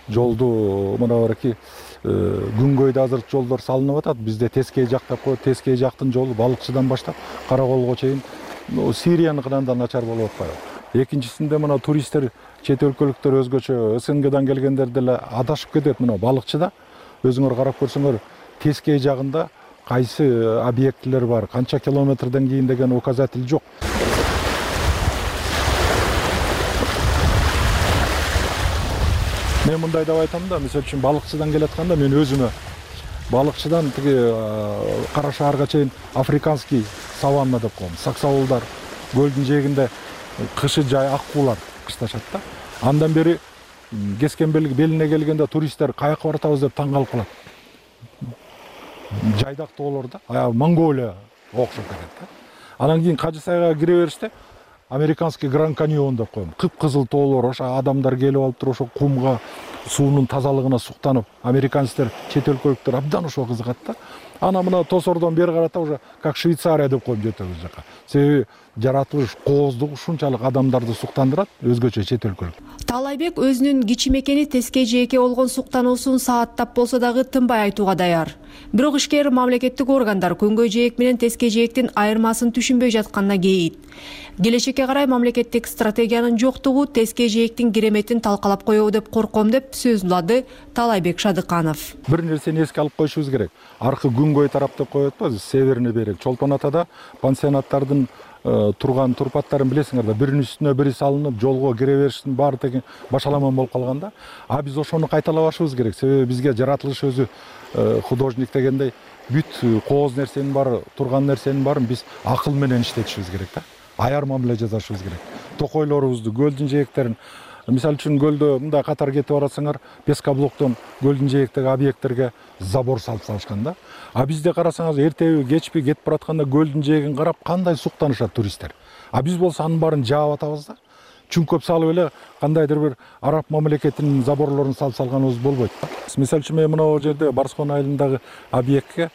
Speaker 16: жолду мына бараки күнгөйдө азыр жолдор салынып атат. Бизде Тескей жак деп коет, Тескей жактын жолу Балыкчыдан баштап Караколго чейин Сирияныкынан да начар болуп атпайбы. Экинчисинде мына туристтер чет өлкөлүктөр өзгөчө СНГдан келгендер деле адашып кетет. Мына Балыкчыда өзүңөр карап көрсөңөр Тескей жагында кайсы объектилер бар, канча километрден кийин деген указатель жок. Мен мындай деп айтам да, мисалы үчүн Балыкчыдан келатканда мен өзүмө Балыкчыдан тиги Кара шаарга чейин африканский саванна деп коем. Саксаулдар көлдүн жээгинде кышы жай аккуулар кышташат да. Андан бери Кескен белине келгенде туристтер каяка баратабыз деп таң калып калат. Жайдак тоолор да, аял Монголия окшоп кетет да. Анан кийин Кажы сайга кире бериште американский Гранд Каньон деп коем. Кып-кызыл тоолор, ошо адамдар келип алып туруп ошо кумга, суунун тазалыгына суктанып, американецтер, чет өлкөлүктөр абдан ошо кызыгат да. Ана мына Тосордон бери карата уже как Швейцария деп коем жети өгүз жака. Себеби жаратылыш кооздугу ушунчалык адамдарды суктандырат, өзгөчө чет өлкөлүк.
Speaker 14: Таалайбек өзүнүн кичи мекени Тескей жээкке болгон суктануусун сааттап болсо дагы тынбай айтууга даяр. Бирок ишкер мамлекеттик органдар күнгөй жээк менен Тескей жээктин айырмасын түшүнбөй жатканына кейит. Келечекке карай мамлекеттик стратегиянын жоктугу Тескей жээктин кереметин талкалап коебу деп корком деп сөз улады Таалайбек Шадыканов.
Speaker 16: Бир нерсени эске алып коюшубуз керек. Аркы күнгөй тарап деп коет атпайбыз, северный берег. Чолпон Атада пансионаттардын турган турпаттарын билесиңер да, биринин үстүнө бири салынып, жолго кире бериштин баары тең башаламан болуп калган да. А биз ошону кайталабашыбыз керек. Себеби бизге жаратылыш өзү художник дегендей бүт кооз нерсенин баары, турган нерсенин баарын биз акыл менен иштетишибиз керек да. Аяр мамиле жасашыбыз керек. Токойлорубузду, көлдүн жээктерин, мисалы үчүн көлдө мындай катар кетип баратсаңар, Пескоблоктон көлдүн жээктеги объекттерге забор салып салышкан да. А бизде карасаңыз, эртеби, кечпи кетип баратканда көлдүн жээгин карап кандай суктанышат туристтер. А биз болсо анын баарын жаап атабыз да. чүңкөп салып эле кандайдыр бир араб мамлекетинин заборлорун салып салганыбыз болбойт. Мисалы үчүн мен мына жерде Барскон айылындагы объектке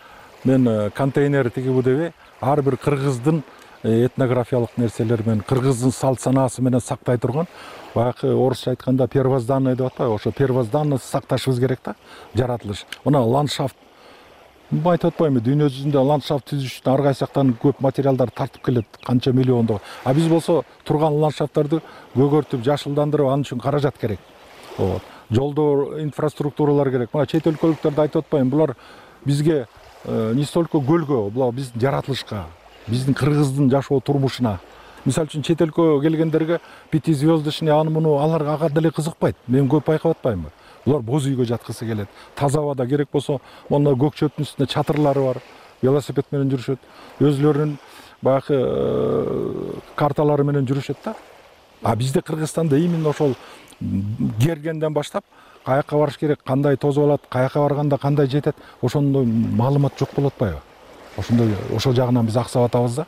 Speaker 16: мен контейнер тигип деп ар бир кыргыздын этнографиялык нерселери менен кыргыздын салт санаасы менен сактай турган баягы орусча айтканда первозданный деп атпайбы, ошо первозданность сакташыбыз керек да, жаратылыш. Мына ландшафт айтып атпайбы, дүйнө жүзүндө ландшафт түзүш үчүн ар кайсы жактан көп материалдар тартып келет, канча миллиондогу. А биз болсо турган ландшафттарды көгөртүп, жашылдандырып, анын үчүн каражат керек. Вот. Жолдор, инфраструктуралар керек. Мына чет өлкөлүктөрдү айтып атпайбы, булар бизге не столько көлгө, булар биздин жаратылышка, биздин кыргыздын жашоо турмушуна. Мисалы үчүн чет өлкөгө келгендерге пятизвездочный аны муну аларга ага деле кызыкпайт. Мен көп байкап атпаймынбы? Булар боз үйгө жаткысы келет. Таза абада керек болсо, монда көк чөптүн үстүндө чатырлары бар, велосипед менен жүрүшөт. Өзлөрүнүн баягы карталары менен жүрүшөт да. А бизде Кыргызстанда именно ошол кергенден баштап каяка барыш керек, кандай тозуп алат, каяка барганда кандай жетет, ошондой маалымат жок болуп атпайбы? Ошондой ошол жагынан биз аксап атабыз да.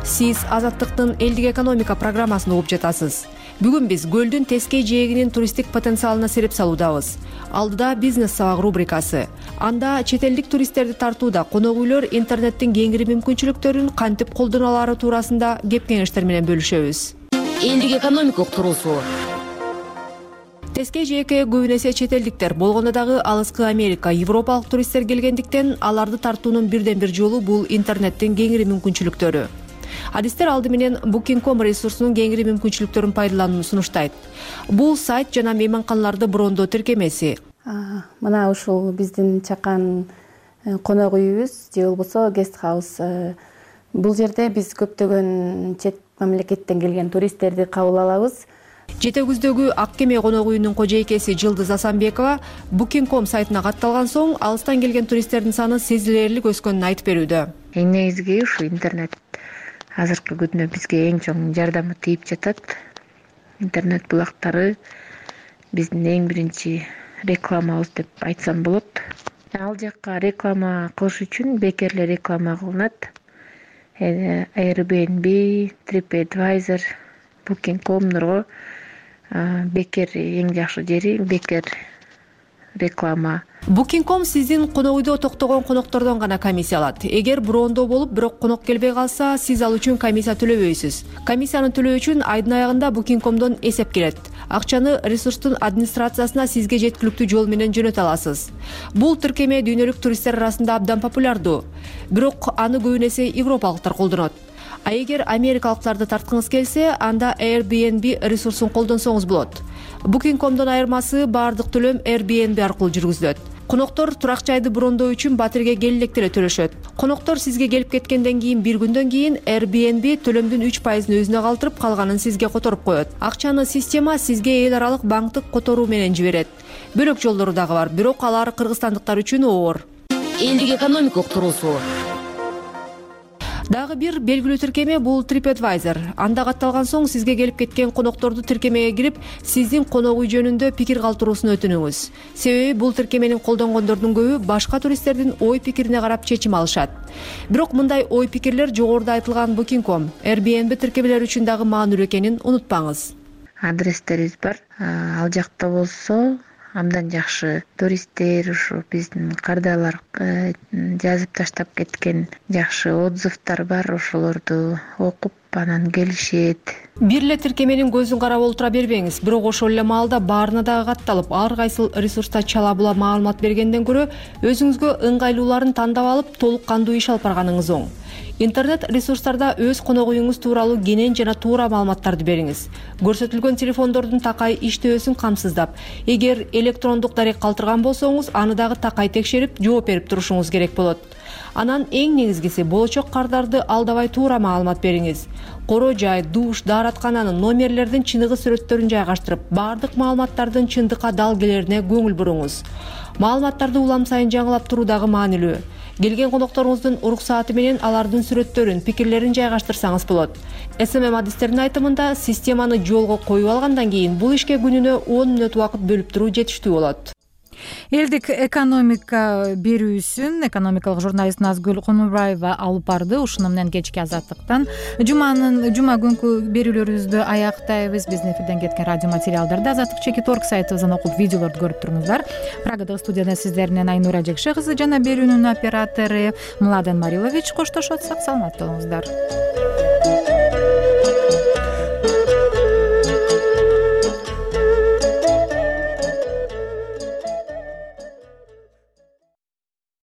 Speaker 14: Сиз Азаттыктын элдик экономика программасын угуп жатасыз. Бүгүн биз көлдүн тескей жээгинин туристтик потенциалына сереп салуудабыз. Алдыда бизнес сабак рубрикасы. Анда чет элдик туристтерди тартууда конок үйлөр интернеттин кеңири мүмкүнчүлүктөрүн кантип колдоно алары туурасында кеп кеңештер менен бөлүшөбүз. Элдик экономика уктуруусу. Тескей жээкке көбүн эсе чет элдиктер, болгондо дагы алыскы Америка, Европалык туристтер келгендиктен аларды тартуунун бирден бир жолу бул интернеттин кеңири мүмкүнчүлүктөрү. Адистер алды менен Booking точка com ресурсунун кеңири мүмкүнчүлүктөрүн пайдаланууну сунуштайт. Бул сайт жана мейманканаларды брондоо тиркемеси.
Speaker 3: Мына ушул биздин чакан конок үйүбүз же болбосо гест хаус. Бул жерде биз көптөгөн чет мамлекеттен келген туристтерди кабыл алабыз.
Speaker 14: Жетегүздөгү Ак кеме конок үйүнүн кожойкеси Жылдыз Асанбекова Booking точка com сайтына катталган соң алыстан келген туристтердин саны сезилерлик өскөнүн айтып берүүдө.
Speaker 4: Эң негизги ушу интернет азыркы күндө бизге эң чоң жардамы тийип жатат. Интернет булактары биздин эң биринчи рекламабыз деп айтсам болот. Ал жакка реклама кылыш үчүн бекер эле реклама кылынат. Airbnb, TripAdvisor, Booking точка com бекер эң жакшы жери, бекер реклама.
Speaker 14: Booking точка com сиздин конок үйдө токтогон коноктордон гана комиссия алат. Эгер брондоо болуп, бирок конок келбей калса, сиз ал үчүн комиссия төлөбөйсүз. Комиссияны төлөө үчүн айдын аягында Booking точка comдон эсеп келет. Акчаны ресурстун администрациясына сизге жеткиликтүү жол менен жөнөтө аласыз. Бул тиркеме дүйнөлүк туристтер арасында абдан популярдуу. Бирок аны көбүн эсе европалыктар колдонот. А эгер америкалыктарды тарткыңыз келсе, анда Airbnb ресурсун колдонсоңуз болот. Booking точка comдон айырмасы баардык төлөм Airbnb аркылуу жүргүзүлөт. Коноктор турак жайды брондоо үчүн батирге келе электе эле төлөшөт. Коноктор сизге келип кеткенден кийин бир күндөн кийин Airbnb төлөмдүн үч пайызын өзүнө калтырып, калганын сизге которуп коет. Акчаны система сизге эл аралык банктык которуу менен жиберет. Бөлөк жолдору дагы бар, бирок алар кыргызстандыктар үчүн оор. Элдик экономика уктуруусу. Дагы бир белгилүү тиркеме бул TripAdvisor. Анда катталган соң сизге келип кеткен конокторду тиркемеге кирип, сиздин конок үй жөнүндө пикир калтыруусун өтүнүңүз. Себеби бул тиркеменин колдонгондордун көбү башка туристтердин ой пикирине карап чечим алышат. Бирок мындай ой пикирлер жогоруда айтылган Booking точка com, Airbnb тиркемелери үчүн дагы маанилүү экенин унутпаңыз.
Speaker 4: Адрестерибиз бар. Ал жакта болсо абдан жакшы туристтер, ушу биздин кардалар жазып таштап кеткен жакшы отзывдар бар, ошолорду окуп анан келишет.
Speaker 14: Бир эле тиркеменин көзүн карап олтура бербеңиз, бирок ошол эле маалда баарына дагы катталып, ар кайсыл ресурста чала була маалымат бергенден көрө өзүңүзгө ыңгайлууларын тандап алып, толук кандуу иш алып барганыңыз оң. Интернет ресурстарда өз конок үйүңүз тууралуу кенен жана туура маалыматтарды бериңиз. Көрсөтүлгөн телефондордун такай иштөөсүн камсыздап, эгер электрондук дарек калтырган болсоңуз, аны дагы такай текшерип, жооп берип турушуңуз керек болот. Анан эң негизгиси болочок кардарды алдабай туура маалымат бериңиз. Коро жай, душ, даараткананын номерлердин чыныгы сүрөттөрүн жайгаштырып, баардык маалыматтардын чындыкка дал келерине көңүл буруңуз. Маалыматтарды улам сайын жаңылап туруу дагы маанилүү. Келген конокторуңуздун уруксааты менен алардын сүрөттөрүн, пикирлерин жайгаштырсаңыз болот. эс эм эм адистердин айтымында, системаны жолго коюп алгандан кийин бул ишке күнүнө он мүнөт убакыт бөлүп туруу жетиштүү болот.
Speaker 1: Элдик экономика берүүсүн экономикалык журналист Назгүл Конурбаева алып барды. Ушуну менен кечки Азаттыктан жуманын жума күнкү берүүлөрүбүздү аяктайбыз. Биздин эфирден кеткен радио материалдарды Азаттык чекит орг сайтыбыздан окуп, видеолорду көрүп туруңуздар. Прагадагы студияда сиздер менен Айнура Жекше кызы жана берүүнүн оператору Младен Марилович коштошот. Сак саламатта болуңуздар.